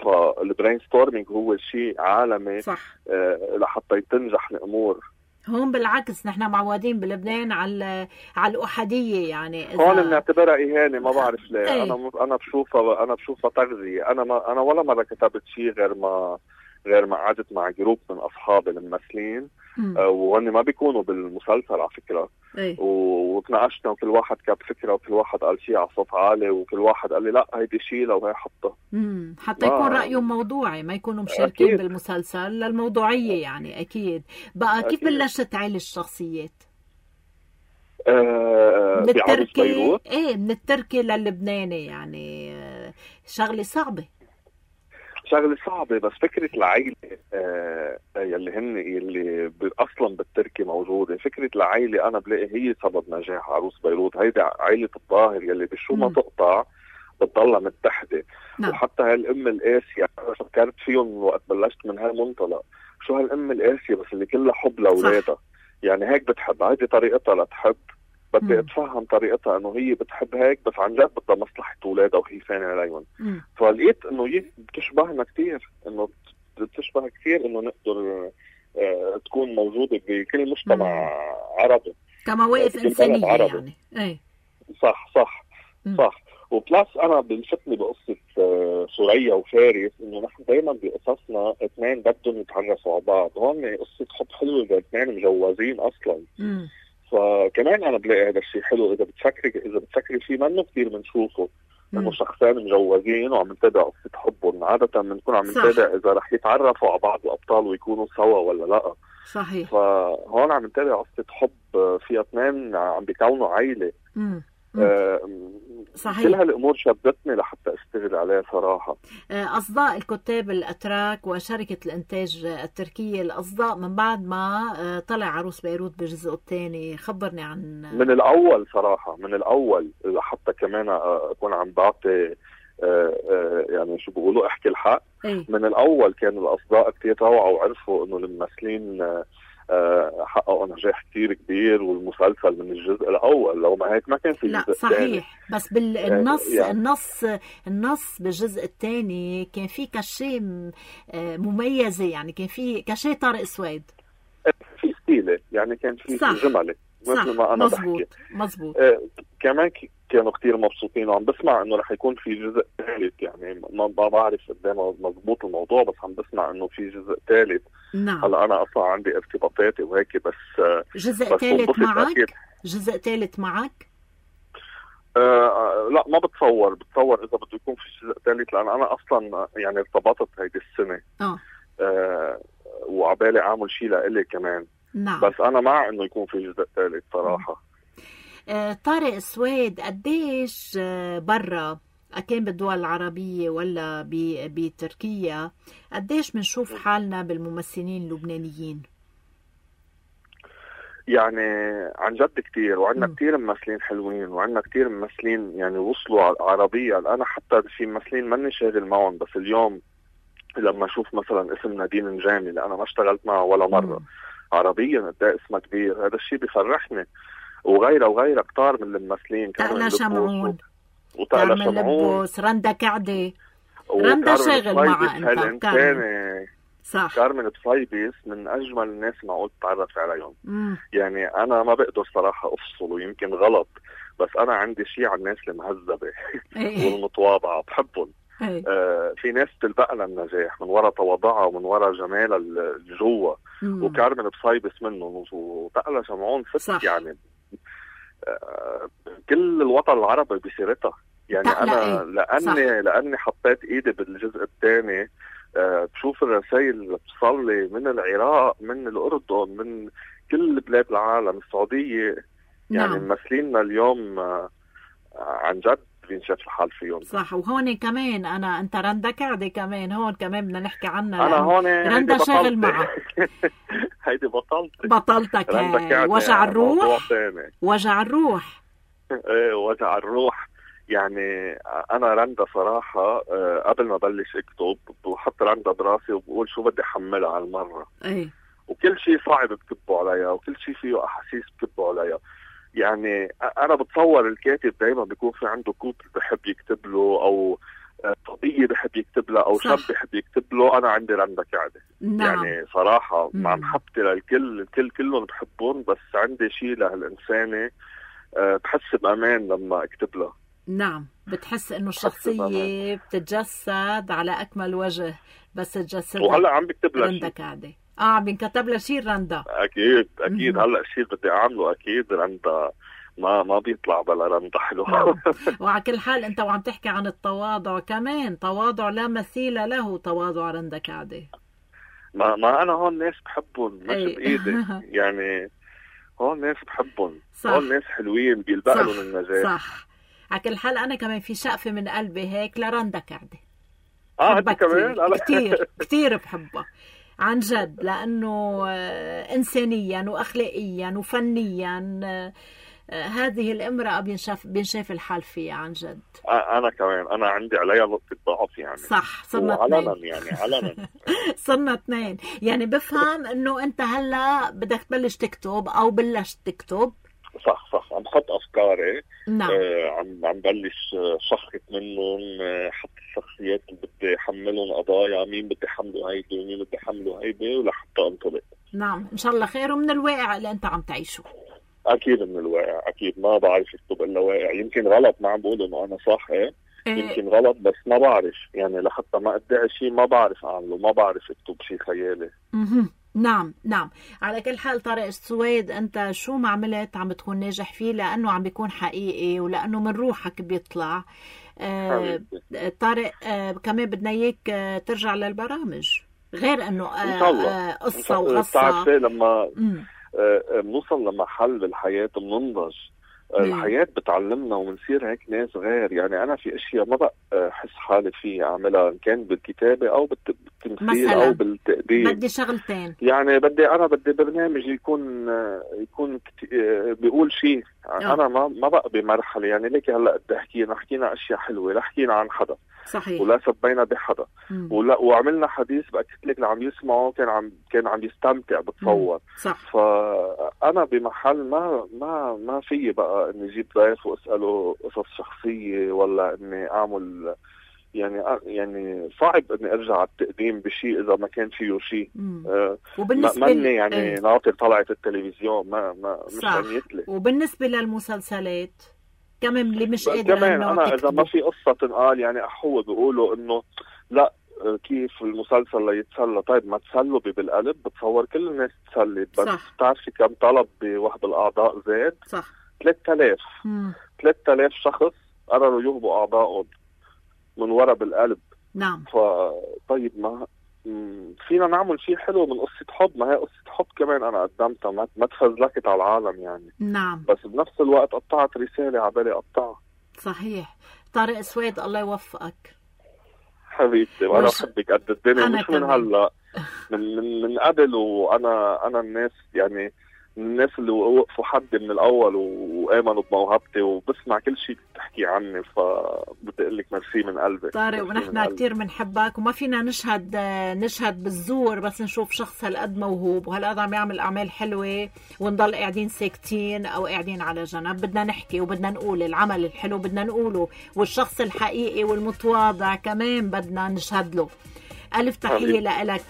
فالبرين ستورمينج هو شيء عالمي. صح. آه لحتى تنجح الامور. هون بالعكس نحن معودين بلبنان على على الأحادية. يعني إذا هون بنعتبرها إهانة، ما بعرف ليه. ايه. أنا أنا بشوفها أنا بشوفها تغذية. أنا ما أنا ولا مرة كتبت شيء غير ما غير ما قعدت مع جروب من أصحابي الممثلين، آه وهن ما بيكونوا بالمسلسل على فكرة. ايه. وتناقشنا وكل واحد كتب فكرة وكل واحد قال شيء على صوت عالي وكل واحد قال لي لا هيدي شيء لو هي حطها. امم حتى يكون رأيهم موضوعي، ما يكونوا مشاركين أكيد. بالمسلسل للموضوعية. يعني أكيد. بقى كيف أكيد. بلشت عيل الشخصيات؟ آه من التركي ايه من التركي للبناني. يعني آه شغلة صعبة شغلة صعبة. بس فكرة العائلة آه يلي هن يلي أصلا بالتركي موجودة، فكرة العائلة أنا بلاقي هي سبب نجاح عروس بيروت. هيدي عائلة الظاهر يلي بشو ما تقطع بتضلها متحدة. نعم. وحتى هالأم القاسية فكرت فيهم وقت بلشت من هالمنطلق، شو هالأم القاسية بس اللي كلها حب لأولادها. يعني هيك بتحب، هيدي طريقتها لتحب. بدي اتفهم طريقتها انه هي بتحب هيك، بس عن جد بدها مصلحة اولادها وهي فانة عليهم. فلقيت انه هي بتشبهنا كتير، انه بتشبه كثير انه نقدر اه تكون موجودة بكل مجتمع مم. عربي كمواقف انسانية. يعني ايه صح صح مم. صح. وبلاس انا بلفتني بقصة اه سوريا وفارس انه نحن دايما بقصصنا اثنين بدهم يتعرفوا على بعض. هون قصة حب حلوة اذا اثنين مجوزين اصلا. مم. فكمان انا بلاقي هذا الشيء حلو اذا بتفكري اذا بتفكري فيه منه كثير بنشوفه انه شخصين مجوزين وعم نتابع قصه حبهم. عاده بنكون عم نتابع اذا رح يتعرفوا على بعض الابطال ويكونوا سوا ولا لا. صحيح. فهون عم نتابع قصه حب فيها اثنين عم بيكونوا عائله. امم آه صحيح. كل هالامور شدتني لحتى اشتغل عليها صراحه. اصداء الكتاب الاتراك وشركه الانتاج التركيه، الاصداء من بعد ما طلع عروس بيروت بجزء الثاني، خبرني عن. من الاول صراحه، من الاول لحتى كمان اكون عم بعطي يعني شو بيقولوا احكي الحق. ايه؟ من الاول كان الاصداء كثير روعوا وعرفوا انه الممثلين حققوا نجاح كتير كبير، والمسلسل من الجزء الأول لو ما هيك ما كان في لا الجزء صحيح الثاني. بس بالنص يعني. النص النص بالجزء الثاني كان في كشي مميزة، يعني كان في كشي طارق سويد، في ستيلة، يعني كان في جملة مثل ما أنا مزبوط. بحكي مزبوط. آه كمان كانوا كتير مبسوطين، وعم بسمع إنه رح يكون في جزء ثالث. يعني ما بعرف قدام مزبوط الموضوع، بس عم بسمع إنه في جزء ثالث. نعم. هلا أنا أصلا عندي ارتباطاتي وهيك، بس جزء ثالث معك؟ أكيد. جزء ثالث معك؟ آه لا ما بتصور بتصور إذا بده يكون في جزء ثالث، لأن أنا أصلا يعني ارتبطت هيدي السنة. آه. آه وعبالي أعمل شيء لإلي كمان. نعم. بس أنا مع إنه يكون في جزء ثالث صراحة. آه طارق سويد قديش آه برا كان بالدول العربية ولا بتركيا، قديش بنشوف حالنا بالممثلين اللبنانيين؟ يعني عن جد كتير، وعندنا كتير ممثلين حلوين، وعندنا كتير ممثلين يعني وصلوا عربيا. أنا حتى في ممثلين ماني شاغل معهم، بس اليوم لما أشوف مثلا اسم نادين نجامي اللي أنا ما اشتغلت معه ولا مرة مم. عربيا قد اسمه كبير، هذا الشيء بيفرحني. وغيره وغيره كتار من الممثلين تقلا شمعون وتقلا كارمن شمعون لبوس، رندا كعدة. رندا شاغل معها انت. كارمن صح. كارمن بصيبس من اجمل الناس معقول تتعرف عليهم. مم. يعني انا ما بقدر صراحه افصل، ويمكن غلط، بس انا عندي شيء على الناس المهذبه والمتواضعه بحبهم. آه في ناس تلبق لها النجاح من وراء تواضعها ومن وراء جمالها الجوا، وكارمن بصيبس منهم وتقلا شمعون ست. يعني آه كل الوطن العربي بسيرتها. يعني انا لاني لاني حطيت ايدي بالجزء الثاني، أه بشوف الرسائل اللي بتصل لي من العراق، من الاردن، من كل بلاد العالم، السعوديه. يعني نعم. ممثليننا اليوم أه عن جد بينشاف الحال فيهم. صح. وهون كمان انا انت رندا كعدة كمان هون كمان بدنا نحكي عنها. انا هون رندا شاغل معها. هيدي بطلتك بطلتك وجع الروح. وجع الروح. ايه وجع الروح. يعني انا رندا صراحه قبل ما بلش اكتب بحط رندا براسي وبقول شو بدي احملها على المره. ايه. وكل شيء صعب بكتبه عليها، وكل شيء فيه احاسيس بكتبه عليها. يعني انا بتصور الكاتب دايما بيكون في عنده كوبل بحب يكتب له، او صبيه بحب يكتب لها، او شاب بحب يكتب له. انا عندي رندا كعدة. نعم. يعني صراحه مع محبتي للكل، الكل كلهم بحبهم، بس عندي شيء لهالانسانه بحس بامان لما اكتب لها. نعم. بتحس انه الشخصيه بتتجسد على اكمل وجه بس تجسد. وهلا عم بكتب لها رندا كعدة. اه عم بينكتب لها شيء رندا. اكيد اكيد. هلا الشيء بدي اعمله اكيد رندا ما ما بيطلع بلا رندا حلو. وعلى كل حال انت وعم تحكي عن التواضع، كمان تواضع لا مثيل له تواضع رندا كعدة. ما ما انا هون ناس بحبهم مش بايدي. يعني هون ناس بحبهم. هون ناس حلوين بيلبق لهم النجاح. صح. على كل حال انا كمان في شقفه من قلبي هيك لرندا كعدة. اه انت كمان؟ كثير كثير بحبها عن جد، لانه انسانيا واخلاقيا وفنيا هذه الامراه بينشاف بينشاف الحال فيها عن جد. انا كمان انا عندي عليها نقطه ضعف. يعني صح. صرنا علنا يعني علنا صرنا اثنين. يعني بفهم انه انت هلا بدك تبلش تكتب او بلشت تكتب. صح صح. عم بحط افكاري. نعم. آه عم عم بلش شخص منهم، آه حط الشخصيات اللي بدي احملهم قضايا، مين بدي احمله هيدي ومين بدي احمله هيدي، ولحتى انطلق. نعم ان شاء الله خير. ومن الواقع اللي انت عم تعيشه. اكيد من الواقع. اكيد ما بعرف اكتب الا واقع. يمكن غلط، ما عم بقول انه انا صح، ايه يمكن غلط، بس ما بعرف. يعني لحتى ما ادعي شيء ما بعرف اعمله، ما بعرف اكتب شيء خيالي. اها نعم نعم. على كل حال طارق السويد، انت شو ما عملت عم بتكون ناجح فيه، لانه عم بيكون حقيقي ولانه من روحك بيطلع. آه طارق، آه كمان بدنا اياك آه ترجع للبرامج، غير انه آه آه قصه وغصه. بتعرفي لما بنوصل لمحل بالحياه بننضج. الحياة بتعلمنا وبنصير هيك ناس غير. يعني أنا في أشياء ما بقى أحس حالي فيها أعملها، إن كان بالكتابة أو بالتمثيل أو بالتقديم. بدي شغلتين. يعني بدي أنا بدي برنامج يكون يكون بيقول شيء. أنا ما ما بقى بمرحلة. يعني ليك هلا بدي أحكينا حكينا أشياء حلوة، لا حكينا عن حدا. صحيح. ولا سبينا بحدا. ولا وعملنا حديث بأكد لك اللي عم يسمعه كان عم كان عم يستمتع بتصور. صح. فأنا بمحل ما ما ما في بقى إني أجيب ضيف وأسأله قصص شخصية، ولا إني أعمل يعني يعني صعب إني أرجع على التقديم بشيء إذا ما كان فيه شيء. آه وبالنسبة مني يعني ايه. ناطر طلعت التلفزيون ما ما مش عنيتلي. وبالنسبة للمسلسلات كمان اللي مش قادر كمان أنا إذا ما في قصة تنقال، يعني أحوه بيقولوا إنه لا كيف المسلسل ليتسلى. طيب ما تسلوا بالقلب، بتصور كل الناس تسلت، بس بتعرفي كم طلب بوحد الأعضاء زاد؟ صح. ثلاثة آلاف ثلاثة آلاف شخص قرروا يهبوا أعضائهم من ورا بالقلب. نعم. فطيب ما فينا نعمل شيء حلو من قصة حب. ما هي قصة حب كمان أنا قدمتها، ما تفزلكت على العالم يعني. نعم. بس بنفس الوقت قطعت رسالة عبالي قطعها. صحيح. طارق سويد الله يوفقك حبيبتي. وأنا بحبك قد الدنيا، مش من هلا من من من قبل. وأنا أنا الناس يعني الناس اللي وقفوا حدي من الاول وامنوا بموهبتي وبسمع كل شيء بتحكي عني، فبدي اقول لك ميرسي من قلبي طارق. ونحن كتير بنحبك وما فينا نشهد نشهد بالزور بس نشوف شخص هالقد موهوب وهالقد عم يعمل اعمال حلوه ونضل قاعدين ساكتين او قاعدين على جنب. بدنا نحكي وبدنا نقول العمل الحلو بدنا نقوله، والشخص الحقيقي والمتواضع كمان بدنا نشهد له. ألف تحية لك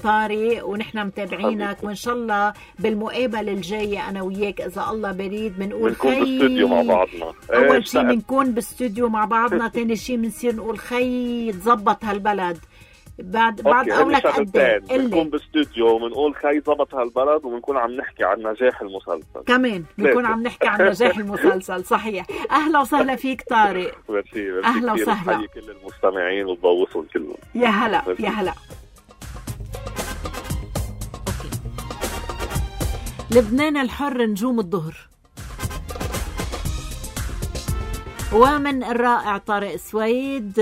طارق، ونحن متابعينك وإن شاء الله بالمقابلة الجاية أنا وياك إذا الله بريد بنقول خي بالاستوديو مع بعضنا. أول شيء بنكون باستوديو مع بعضنا، تاني شيء بنصير نقول خي تزبط هالبلد. بعد بعد قولك قد ايه بنكون باستوديو وبنقول خي زبط هالبلد، وبنكون عم نحكي عن نجاح المسلسل كمان، بنكون عم نحكي عن نجاح المسلسل. صحيح. اهلا وسهلا فيك طارق. ميرسي. اهلا وسهلا. بحيي كل المستمعين وبوصل كلهم. يا هلا يا هلا. لبنان الحر نجوم الظهر. ومن الرائع طارق سويد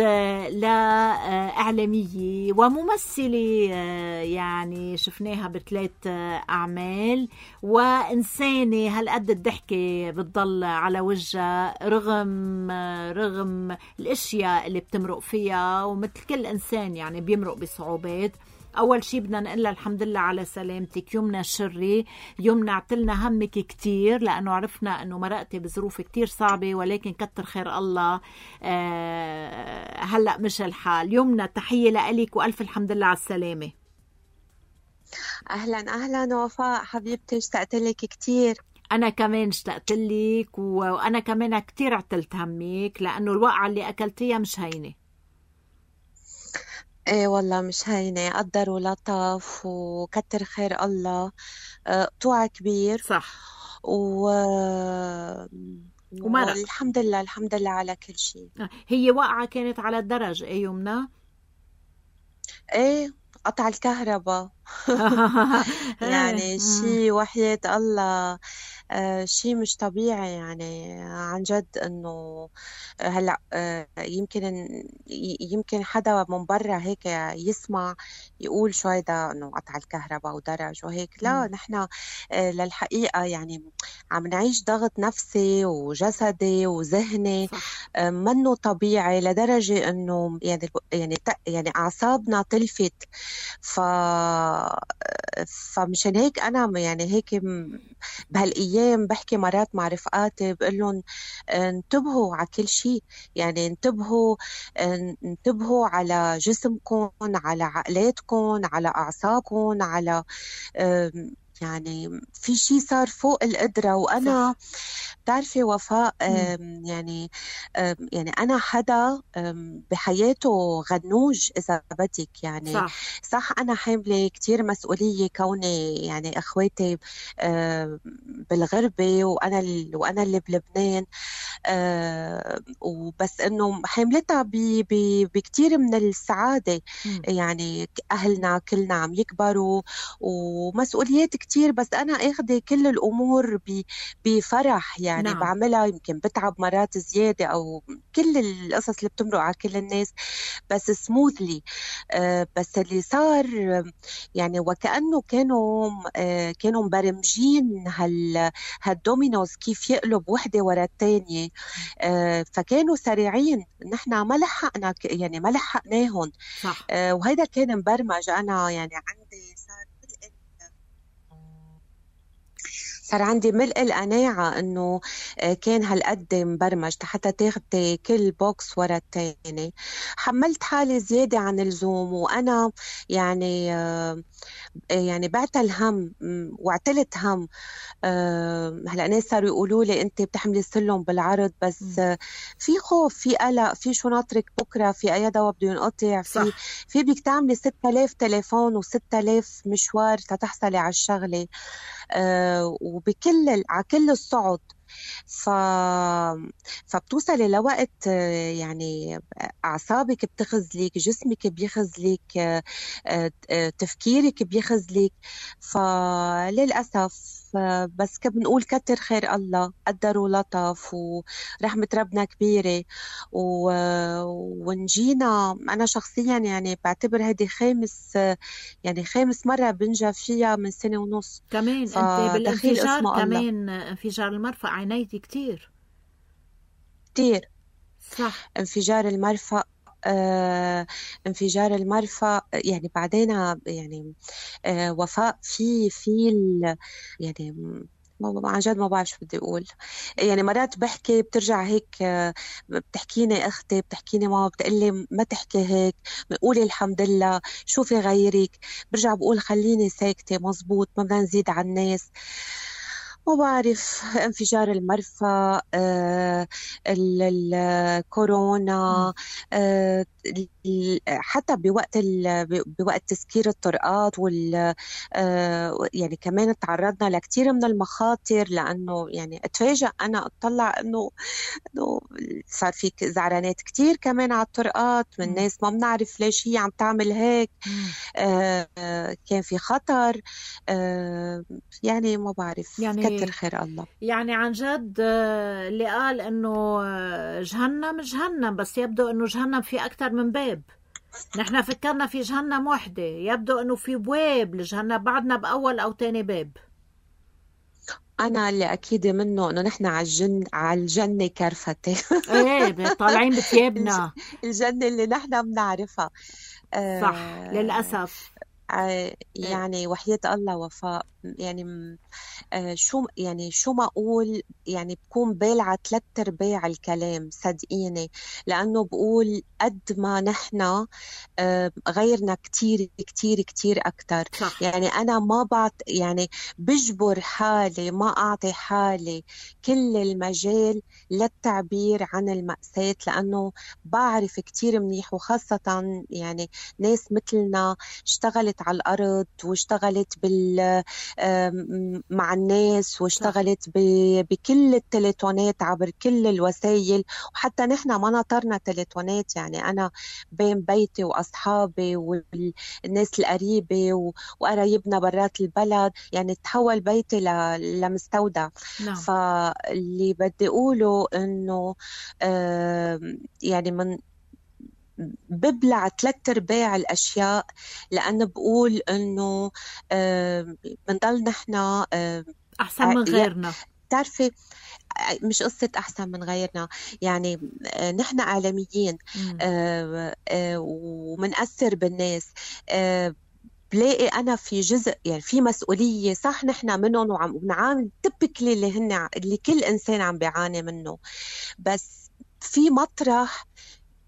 لإعلامية وممثلة يعني شفناها بثلاث أعمال، وإنسانة هالقد الضحكة بتضل على وجهها رغم رغم الأشياء اللي بتمرق فيها، ومثل كل إنسان يعني بيمرق بصعوبات. أول شي بدنا نقول الحمد لله على سلامتك يمنى الشري. يمنى عتلنا همك كتير لأنه عرفنا أنه مرقتي بظروف كتير صعبة، ولكن كتر خير الله آه هلأ مش الحال. يمنى تحية لأليك وألف الحمد لله على السلامة. أهلا أهلا وفاء حبيبتي، اشتقت لك كتير. أنا كمان اشتقت لك، وأنا كمان كتير عتلت همك لأنه الوقعة اللي أكلتيها مش هينة. ايه والله مش هينة، قدر ولطف وكتر خير الله. قطوع كبير صح و... ومرق والحمد لله الحمد لله على كل شيء. هي وقعة كانت على الدرج ايه يمنى؟ ايه قطع الكهرباء يعني شيء وحياة الله آه شيء مش طبيعي يعني عن جد. انه هلا آه يمكن يمكن حدا من برا هيك يسمع يقول شو هيدا انه قطع الكهرباء ودرج وهيك. لا نحن آه للحقيقة يعني عم نعيش ضغط نفسي وجسدي وذهني آه منه طبيعي لدرجة انه يعني يعني يعني اعصابنا تلفت. ف فمشان هيك انا يعني هيك بهالايام بحكي مرات مع رفقاتي بقول لهم انتبهوا على كل شيء، يعني انتبهوا انتبهوا على جسمكم، على عقلاتكم، على اعصابكم، على يعني في شيء صار فوق القدرة. وأنا بتعرفي وفاء يعني يعني أنا حدا بحياته غنوج إذا بدك يعني صح, صح أنا حاملة كتير مسؤولية كوني يعني أخواتي بالغربة وأنا وأنا اللي بلبنان، وبس إنه حاملتها بكتير من السعادة. م. يعني أهلنا كلنا عم يكبروا ومسؤوليات كتير، بس أنا أخذ كل الأمور بفرح يعني. نعم. بعملها يمكن بتعب مرات زيادة أو كل القصص اللي بتمرق على كل الناس بس سموثلي. آه بس اللي صار يعني وكأنه كانوا آه كانوا مبرمجين هال هالدومينوز كيف يقلب وحدة ورا التانية. آه فكانوا سريعين، نحنا ما لحقنا يعني ما لحقناهم. آه وهذا كان مبرمج. أنا يعني عندي صار صار عندي ملء القناعة إنه كان هالقد مبرمج حتى تاخدي كل بوكس ورا التاني. حملت حالي زيادة عن اللزوم، وأنا يعني يعني بعت الهم واعتلت هم. هلا ناس صاروا يقولوا لي أنت بتحملي السلم بالعرض، بس في خوف، في قلق، في شو ناطرك بكرة، في أي دواء بده ينقطع، في في بدك تعملي ستة آلاف تليفون وستة آلاف مشوار تتحصلي على الشغلة. آه وبكل على كل الصعد ف... فبتوصلي لوقت يعني أعصابك بتخزلك، جسمك بيخزلك، تفكيرك بيخزلك. فللأسف بس كبنقول كتر خير الله، قدر ولطف ورحمة ربنا كبيرة و... ونجينا. أنا شخصيا يعني بعتبر هذه خامس يعني خامس مرة بنجا فيها من سنة ونص. كمان انت بالانفجار كمان انفجار المرفأ عانيتي كتير كتير صح. انفجار المرفأ آه، انفجار المرفأ يعني بعدين يعني آه، وفاء في في يعني عن جد ما بعرف شو بدي أقول. يعني مرات بحكي بترجع هيك بتحكيني أختي، بتحكيني ماما، بتقلي ما تحكي هيك، بقولي الحمد لله، شوفي غيرك. برجع بقول خليني ساكتة، مزبوط، ما بدنا نزيد على الناس. ما بعرف، انفجار المرفأ، آه، الكورونا، آه، حتى بوقت بوقت تسكير الطرقات وال آه، يعني كمان تعرضنا لكثير من المخاطر، لأنه يعني اتفاجأ أنا أطلع إنه إنه صار في زعرانات كتير كمان على الطرقات من ناس ما بنعرف ليش هي عم تعمل هيك. آه، كان في خطر. آه، يعني ما بعرف، يعني كتر خير الله. يعني عن جد اللي قال إنه جهنم جهنم، بس يبدو إنه جهنم في أكتر من باب. نحن فكرنا في جهنم وحدة، يبدو إنه في بواب لجهنم، بعدنا بأول أو تاني باب. أنا اللي أكيد منه إنه نحن على الجن على الجنة كرفتي. إيه طالعين بثيابنا الجنة اللي نحن بنعرفها. صح آه للأسف. آه يعني وحياة الله وفاء، يعني آه شو يعني شو ما أقول، يعني بكون بالعة ثلاث أرباع الكلام، صدقيني، لأنه بقول قد ما نحن آه غيرنا كتير كتير كتير أكتر. صح. يعني أنا ما بعط يعني بجبر حالي ما أعطي حالي كل المجال للتعبير عن المأساة، لأنه بعرف كتير منيح، وخاصة يعني ناس مثلنا اشتغلت على الأرض واشتغلت بال مع الناس واشتغلت بكل التليفونات عبر كل الوسائل، وحتى نحن ما نطرنا تليفونات. يعني أنا بين بيتي وأصحابي والناس القريبة وقرايبنا برات البلد، يعني تحول بيتي لمستودع. نعم. فاللي بدي أقوله إنه يعني من ببلع ثلاث ارباع الاشياء، لانه بقول انه بنضل نحن احسن من غيرنا. بتعرفي مش قصة أحسن من غيرنا، يعني نحن إعلاميين ومنأثر بالناس. بلاقي أنا في جزء يعني في مسؤولية، صح نحن منهم وعم بنعامل تبكلي اللي هن اللي كل إنسان عم بيعاني منه، بس في مطرح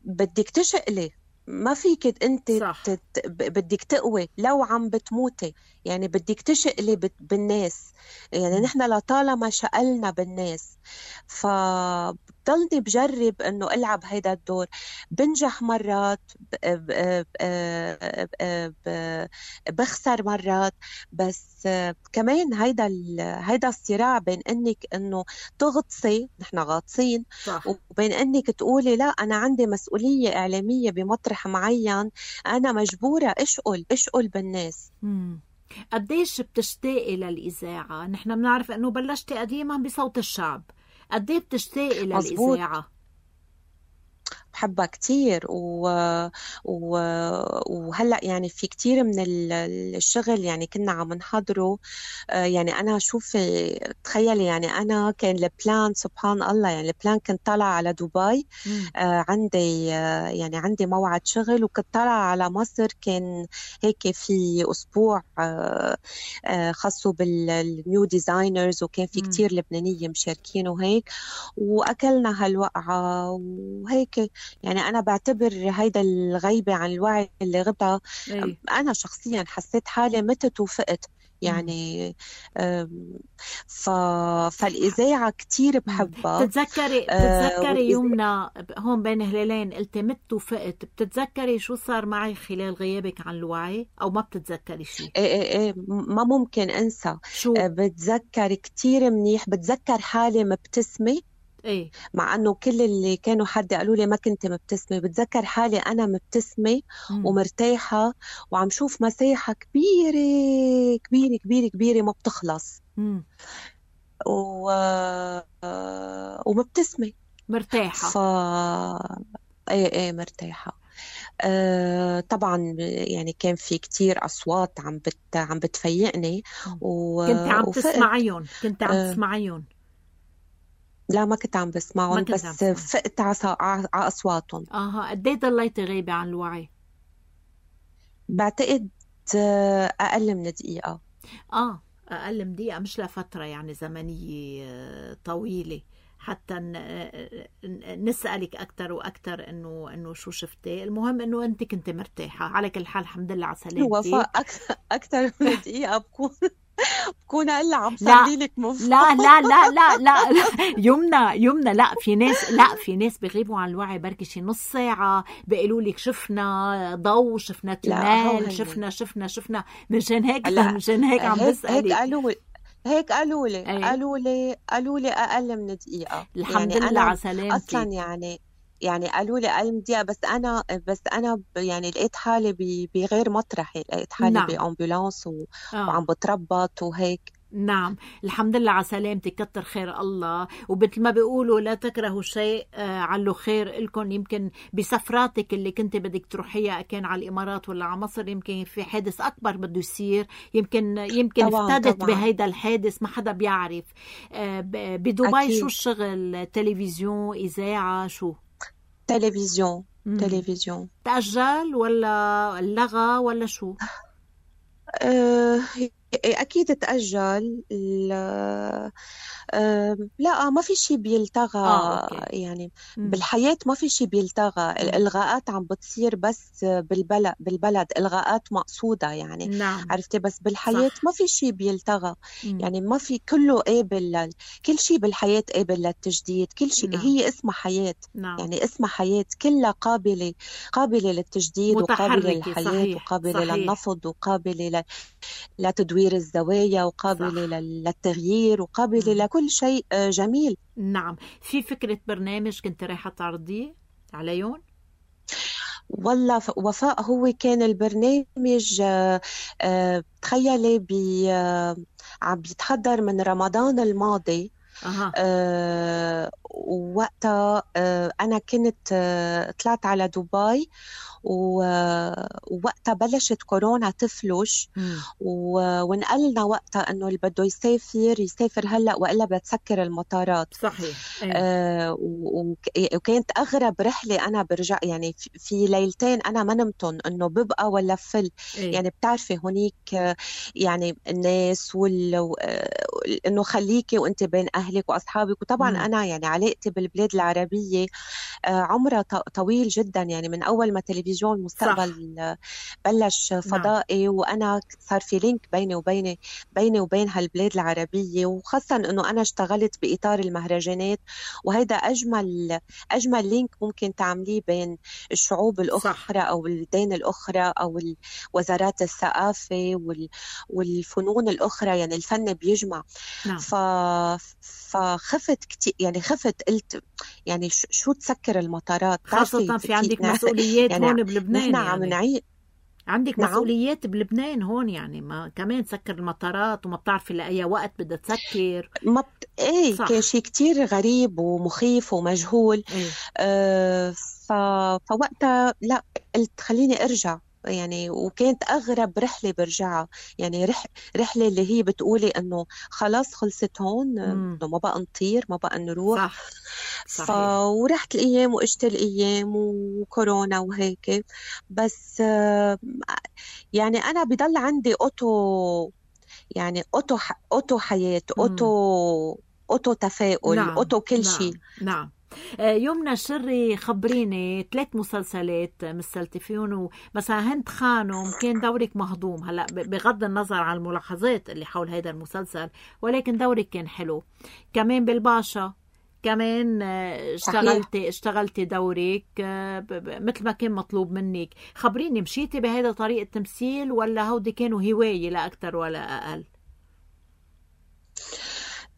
بدك تشقلي، ما فيك انت تت... بدك تقوي لو عم بتموتي، يعني بدك تشقلي بالناس. يعني نحن لطالما شقلنا بالناس، فبضلني بجرب انه العب هيدا الدور. بنجح مرات، بخسر مرات، بس كمان هيدا هيدا الصراع بين انك انه تغطسي، نحن غاطسين، وبين انك تقولي لا انا عندي مسؤولية اعلامية بمطرح معين، انا مجبورة اشقل اشقل بالناس. مم. قديش بتشتاقي للإذاعة؟ نحن بنعرف انه بلشتي قديما بصوت الشعب، قديش بتشتاقي للإذاعة؟ بحبها كتير و... و... وهلأ يعني في كتير من الشغل يعني كنا عم نحضره. يعني أنا شوفي تخيلي، يعني أنا كان البلان سبحان الله، يعني البلان كنت طالعة على دبي، آه عندي يعني عندي موعد شغل، وكنت طالعة على مصر، كان هيك في أسبوع آه آه خاصه بالنيو ديزاينرز، وكان في كتير لبنانية مشاركين وهيك، وأكلنا هالوقعة وهيك. يعني أنا بعتبر هيدا الغيبة عن الوعي اللي غبتها. أنا شخصيا حسيت حالي متت وفقت، يعني ف... فالإذاعة كتير بحبها. بتتذكري بتتذكري يومنا هون بين هلالين قلتي مت وفقت، بتتذكري شو صار معي خلال غيابك عن الوعي أو ما بتتذكري شيء؟ ايه ايه ايه ما ممكن انسى. شو؟ بتذكر كتير منيح، بتذكر حالي مبتسمة. ايه مع انه كل اللي كانوا حد قالوا لي ما كنت مبتسمة، بتذكر حالي انا مبتسمة مم. ومرتاحة وعم شوف مساحة كبيرة كبيرة كبيرة كبيرة ما بتخلص مم. و... ومبتسمة مرتاحة. ف ايه ايه مرتاحة. آه طبعا يعني كان في كتير أصوات عم بت عم بتفيقني و... كنت عم تسمعيهم كنت عم آه تسمعيهم لا ما كنت عم بسمعهم بس فقت على أصواتهم. اها قد ايه ضليتي غايبة عن الوعي؟ بعتقد أقل من دقيقة. اه أقل من دقيقة، مش لفترة يعني زمنية طويلة حتى نسألك أكتر وأكتر إنه إنه شو شفتي. المهم إنه أنت كنت مرتاحة. على كل حال الحمد لله على سلامتك. وفاء أكثر أكثر من دقيقة بكون بكون هلا عم صلي لك مفروض. لا لا لا لا لا, لا. يمنى يمنى لا في ناس لا في ناس بيغيبوا عن الوعي بركي شي نص ساعة بيقولوا لك شفنا ضوء، شفنا تنال، شفنا شفنا شفنا مشان هيك مشان هيك عم بسألك. هيك قالوا هيك قالوا لي أيه. قالوا لي قالوا لي أقل من دقيقة. الحمد يعني لله على سلامتك. أصلا يعني يعني قالوا لي أقل من دقيقة، بس أنا بس أنا يعني لقيت حالي بغير مطرحي، لقيت حالي نعم. بأمبولانس و... آه. وعم بتربط وهيك. نعم الحمد لله على سلامتك، كتر خير الله. وبتل ما بيقولوا لا تكرهوا شيء آه علو خير إلكن. يمكن بسفراتك اللي كنت بدك تروحيها كان على الإمارات ولا على مصر، يمكن في حادث أكبر بده يصير، يمكن يمكن افتدت بهيدا الحادث ما حدا بيعرف. آه بدبي أكيد. شو الشغل؟ تلفزيون، إذاعة، شو؟ تلفزيون. مم. تلفزيون تأجل ولا لغى ولا شو؟ أه أكيد تأجل. لا, أه لا ما في شيء بيلتغى. آه، يعني مم. بالحياة ما في شيء بيلتغى. الإلغاءات عم بتصير بس بالبلد بالبلد إلغاءات مقصودة يعني نعم. عرفتي؟ بس بالحياة صح. ما في شيء بيلتغى. مم. يعني ما في، كله قابل لل... كل شيء بالحياة قابل للتجديد. كل شيء نعم. هي اسمها حياة نعم. يعني اسمها حياة، كلها قابلة قابلة للتجديد وقابلة للحياة صحيح. وقابلة صحيح. للنفض وقابلة ل... لتدوير الزوايا وقابلة صح. للتغيير وقابلة م. لكل شيء جميل. نعم. في فكرة برنامج كنت رايحة تعرضيه عليهم؟ والله وفاء هو كان البرنامج تخيلي بي عم بيتحضر من رمضان الماضي. أه. أه ووقتها أه أنا كنت أه طلعت على دبي ووقتها بلشت كورونا تفلش ونقلنا وقتها انه اللي بده يسافر يسافر هلا والا بتسكر المطارات صحيح. آه وكانت اغرب رحله انا برجع يعني في ليلتين انا ما نمتن انه ببقى ولا فل. أيه. يعني بتعرفي هونيك يعني الناس وال انه خليكي وانت بين اهلك واصحابك. وطبعا م. انا يعني علاقتي بالبلاد العربيه عمرها طويل جدا، يعني من اول ما تلفزيون المستقبل صح. بلش فضائي نعم. وانا صار في لينك بيني وبيني بيني وبين هالبلاد العربيه، وخاصه انه انا اشتغلت باطار المهرجانات، وهيدا اجمل اجمل لينك ممكن تعمليه بين الشعوب الاخرى صح. او البلدان الاخرى او وزارات الثقافه والفنون الاخرى. يعني الفن بيجمع نعم. ف فخفت كتير، يعني خفت قلت يعني شو تسكر المطارات، خاصة في عندك مسؤوليات يعني هون بلبنان. نحن عم يعني. نعيق عندك نعم. مسؤوليات بلبنان هون، يعني ما كمان تسكر المطارات وما بتعرفي لأي وقت بدها تسكر. ما بت... ايه كان شيء كتير غريب ومخيف ومجهول. إيه؟ آه ف... فوقتها لا قلت خليني ارجع يعني. وكانت أغرب رحلة برجعها، يعني رح رحلة اللي هي بتقولي إنه خلاص خلصت هون، إنه ما بقى نطير ما بقى نروح صح. ف... ورحت الأيام وإجت الأيام وكورونا وهيك. بس يعني أنا بضل عندي أوتو، يعني أوتو ح... أوتو حياة، أوتو مم. أوتو تفاؤل نعم. أوتو كل نعم. شيء نعم يمنى الشري خبريني ثلاث مسلسلات مثلتي فيهم، مثلا هند خانم كان دورك مهضوم، هلا بغض النظر عن الملاحظات اللي حول هذا المسلسل ولكن دورك كان حلو. كمان بالباشا كمان اشتغلتي اشتغلتي دورك مثل ما كان مطلوب منك. خبريني مشيتي بهذا طريقة التمثيل ولا هودي كانوا هواية لا أكتر ولا أقل؟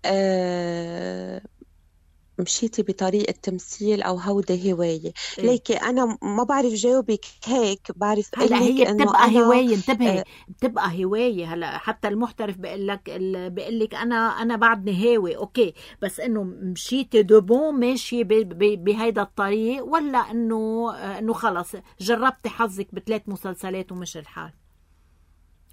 أه مشيتي بطريقة تمثيل أو هودة هواية؟ إيه؟ ليكي أنا ما بعرف جاوبك هيك، بعرف هلا هي بتبقى أنا هواية، انتبهي أه بتبقى هواية. هلا حتى المحترف بيقول لك بيقول لك أنا أنا بعدني هاوي أوكي، بس إنه مشيتي دوبون ماشي بهيدا الطريق ولا إنه إنه خلص جربتي حظك بثلاث مسلسلات ومش الحال؟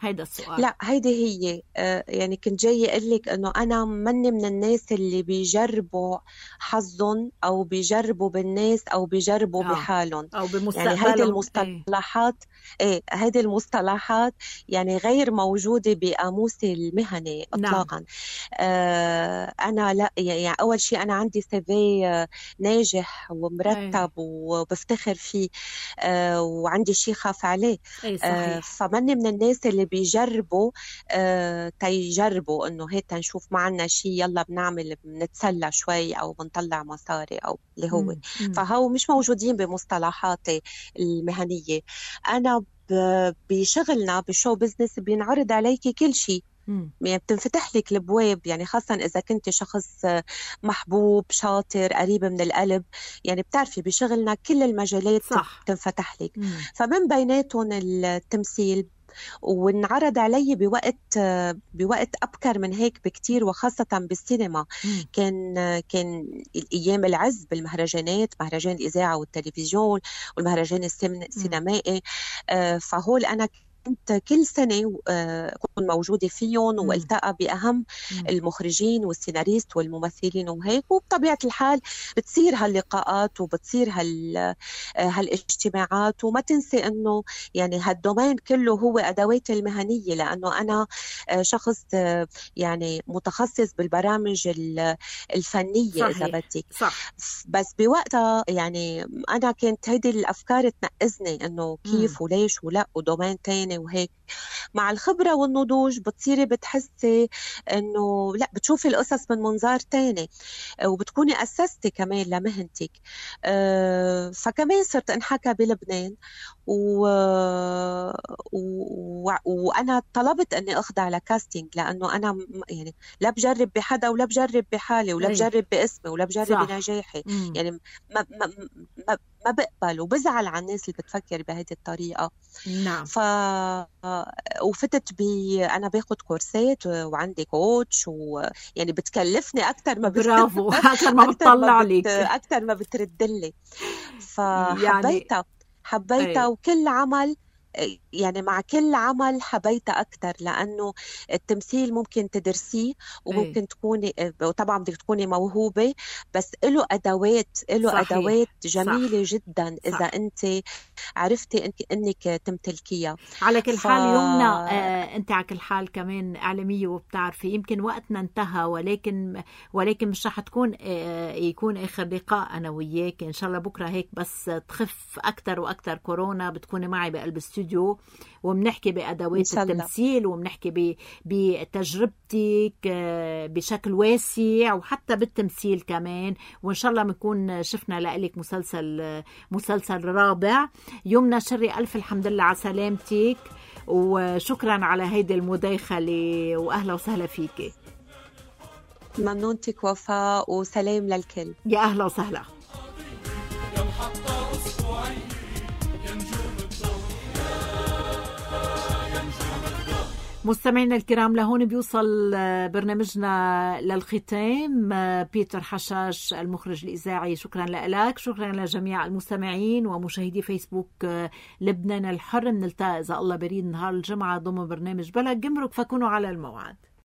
هيدا السؤال. لا هيدي هي آه يعني كنت جاي اقول لك انه انا مني من الناس اللي بيجربوا حظهم او بيجربوا بالناس او بيجربوا آه. بحالهم او بمستقبلهم. يعني هيدي المصطلحات ايه هيدي المصطلحات يعني غير موجوده بقاموسي المهني اطلاقا. نعم. آه انا لا يعني اول شيء انا عندي سي في ناجح ومرتب ايه. وبفتخر فيه آه وعندي شيء خاف عليه. ايه صحيح. آه فمني من الناس اللي بيجربوا آه تيجربوا انه هيك تنشوف معنا شيء يلا بنعمل بنتسلى شوي او بنطلع مصاري او اللي هو مم. مم. فهو مش موجودين بمصطلحاتي المهنية. انا بشغلنا بشو بزنس بينعرض عليكي كل شيء، يعني بتنفتح لك الابواب، يعني خاصه اذا كنت شخص محبوب شاطر قريب من القلب، يعني بتعرفي بشغلنا كل المجالات صح. بتنفتح لك. مم. فمن بيناتهم التمثيل، وانعرض علي بوقت بوقت أبكر من هيك بكتير، وخاصة بالسينما. مم. كان كان أيام العز بالمهرجانات، مهرجان الإذاعة والتلفزيون والمهرجان السينمائي. آه فهول أنا كنت كل سنة أكون موجودة فيهم والتقى بأهم مم. المخرجين والسيناريست والممثلين وهيك، وبطبيعة الحال بتصير هاللقاءات وبتصير هال هالاجتماعات. وما تنسي أنه يعني هالدومين كله هو أدوات المهنية، لأنه أنا شخص يعني متخصص بالبرامج الفنية. صحيح. إذا بدك صح. بس بوقتها يعني أنا كانت هيدي الأفكار تنقزني أنه كيف مم. وليش ولا ودومين تاني وهيك. مع الخبرة والنضوج بتصيري بتحسي انه لا، بتشوفي القصص من منظار تاني وبتكوني أسستي كمان لمهنتك. أه فكمان صرت انحكى بلبنان و... و... وانا طلبت اني اخضع لكاستينج، لانه انا يعني لا بجرب بحدا ولا بجرب بحالي ولا بجرب باسمي ولا بجرب صح. بنجاحي. مم. يعني ما ما ما ما بقبل وبزعل على الناس اللي بتفكر بهذه الطريقة. نعم. ف وفتت ب انا باخد كورسات وعندي كوتش، ويعني بتكلفني اكثر ما برافو اكثر ما بتطلع لك، اكثر ما بتردلي. فحبيتها يعني... حبيتها أي. وكل عمل يعني مع كل عمل حبيتها أكتر، لأنه التمثيل ممكن تدرسيه وممكن أي. تكوني وطبعا بدك تكوني موهوبة، بس له أدوات له صحيح. أدوات جميلة صح. جدا إذا صح. أنت عرفتي أنك, إنك تمتلكيها. على كل ف... حال يمنى آه أنت على كل حال كمان إعلامية وبتعرفي يمكن وقتنا انتهى، ولكن ولكن مش رح تكون آه يكون آخر لقاء أنا وياك إن شاء الله. بكرة هيك بس تخف أكتر وأكتر كورونا بتكوني معي بقلب استوديو وبنحكي بأدوات التمثيل وبنحكي بتجربتك بشكل واسع وحتى بالتمثيل كمان، وإن شاء الله بنكون شفنا لك مسلسل مسلسل رابع. يمنى الشري ألف الحمد لله على سلامتك، وشكرا على هيدي المداخلة وأهلا وسهلا فيك. ممنونتك وفاء وسلام للكل. يا أهلا وسهلا. مستمعينا الكرام، لهون بيوصل برنامجنا للختام. بيتر حشاش المخرج الإذاعي، شكرا لك، شكرا لجميع المستمعين ومشاهدي فيسبوك لبنان الحر. نلتقي إذا الله بريد نهار الجمعة ضمن برنامج بلا جمرك، فكونوا على الموعد.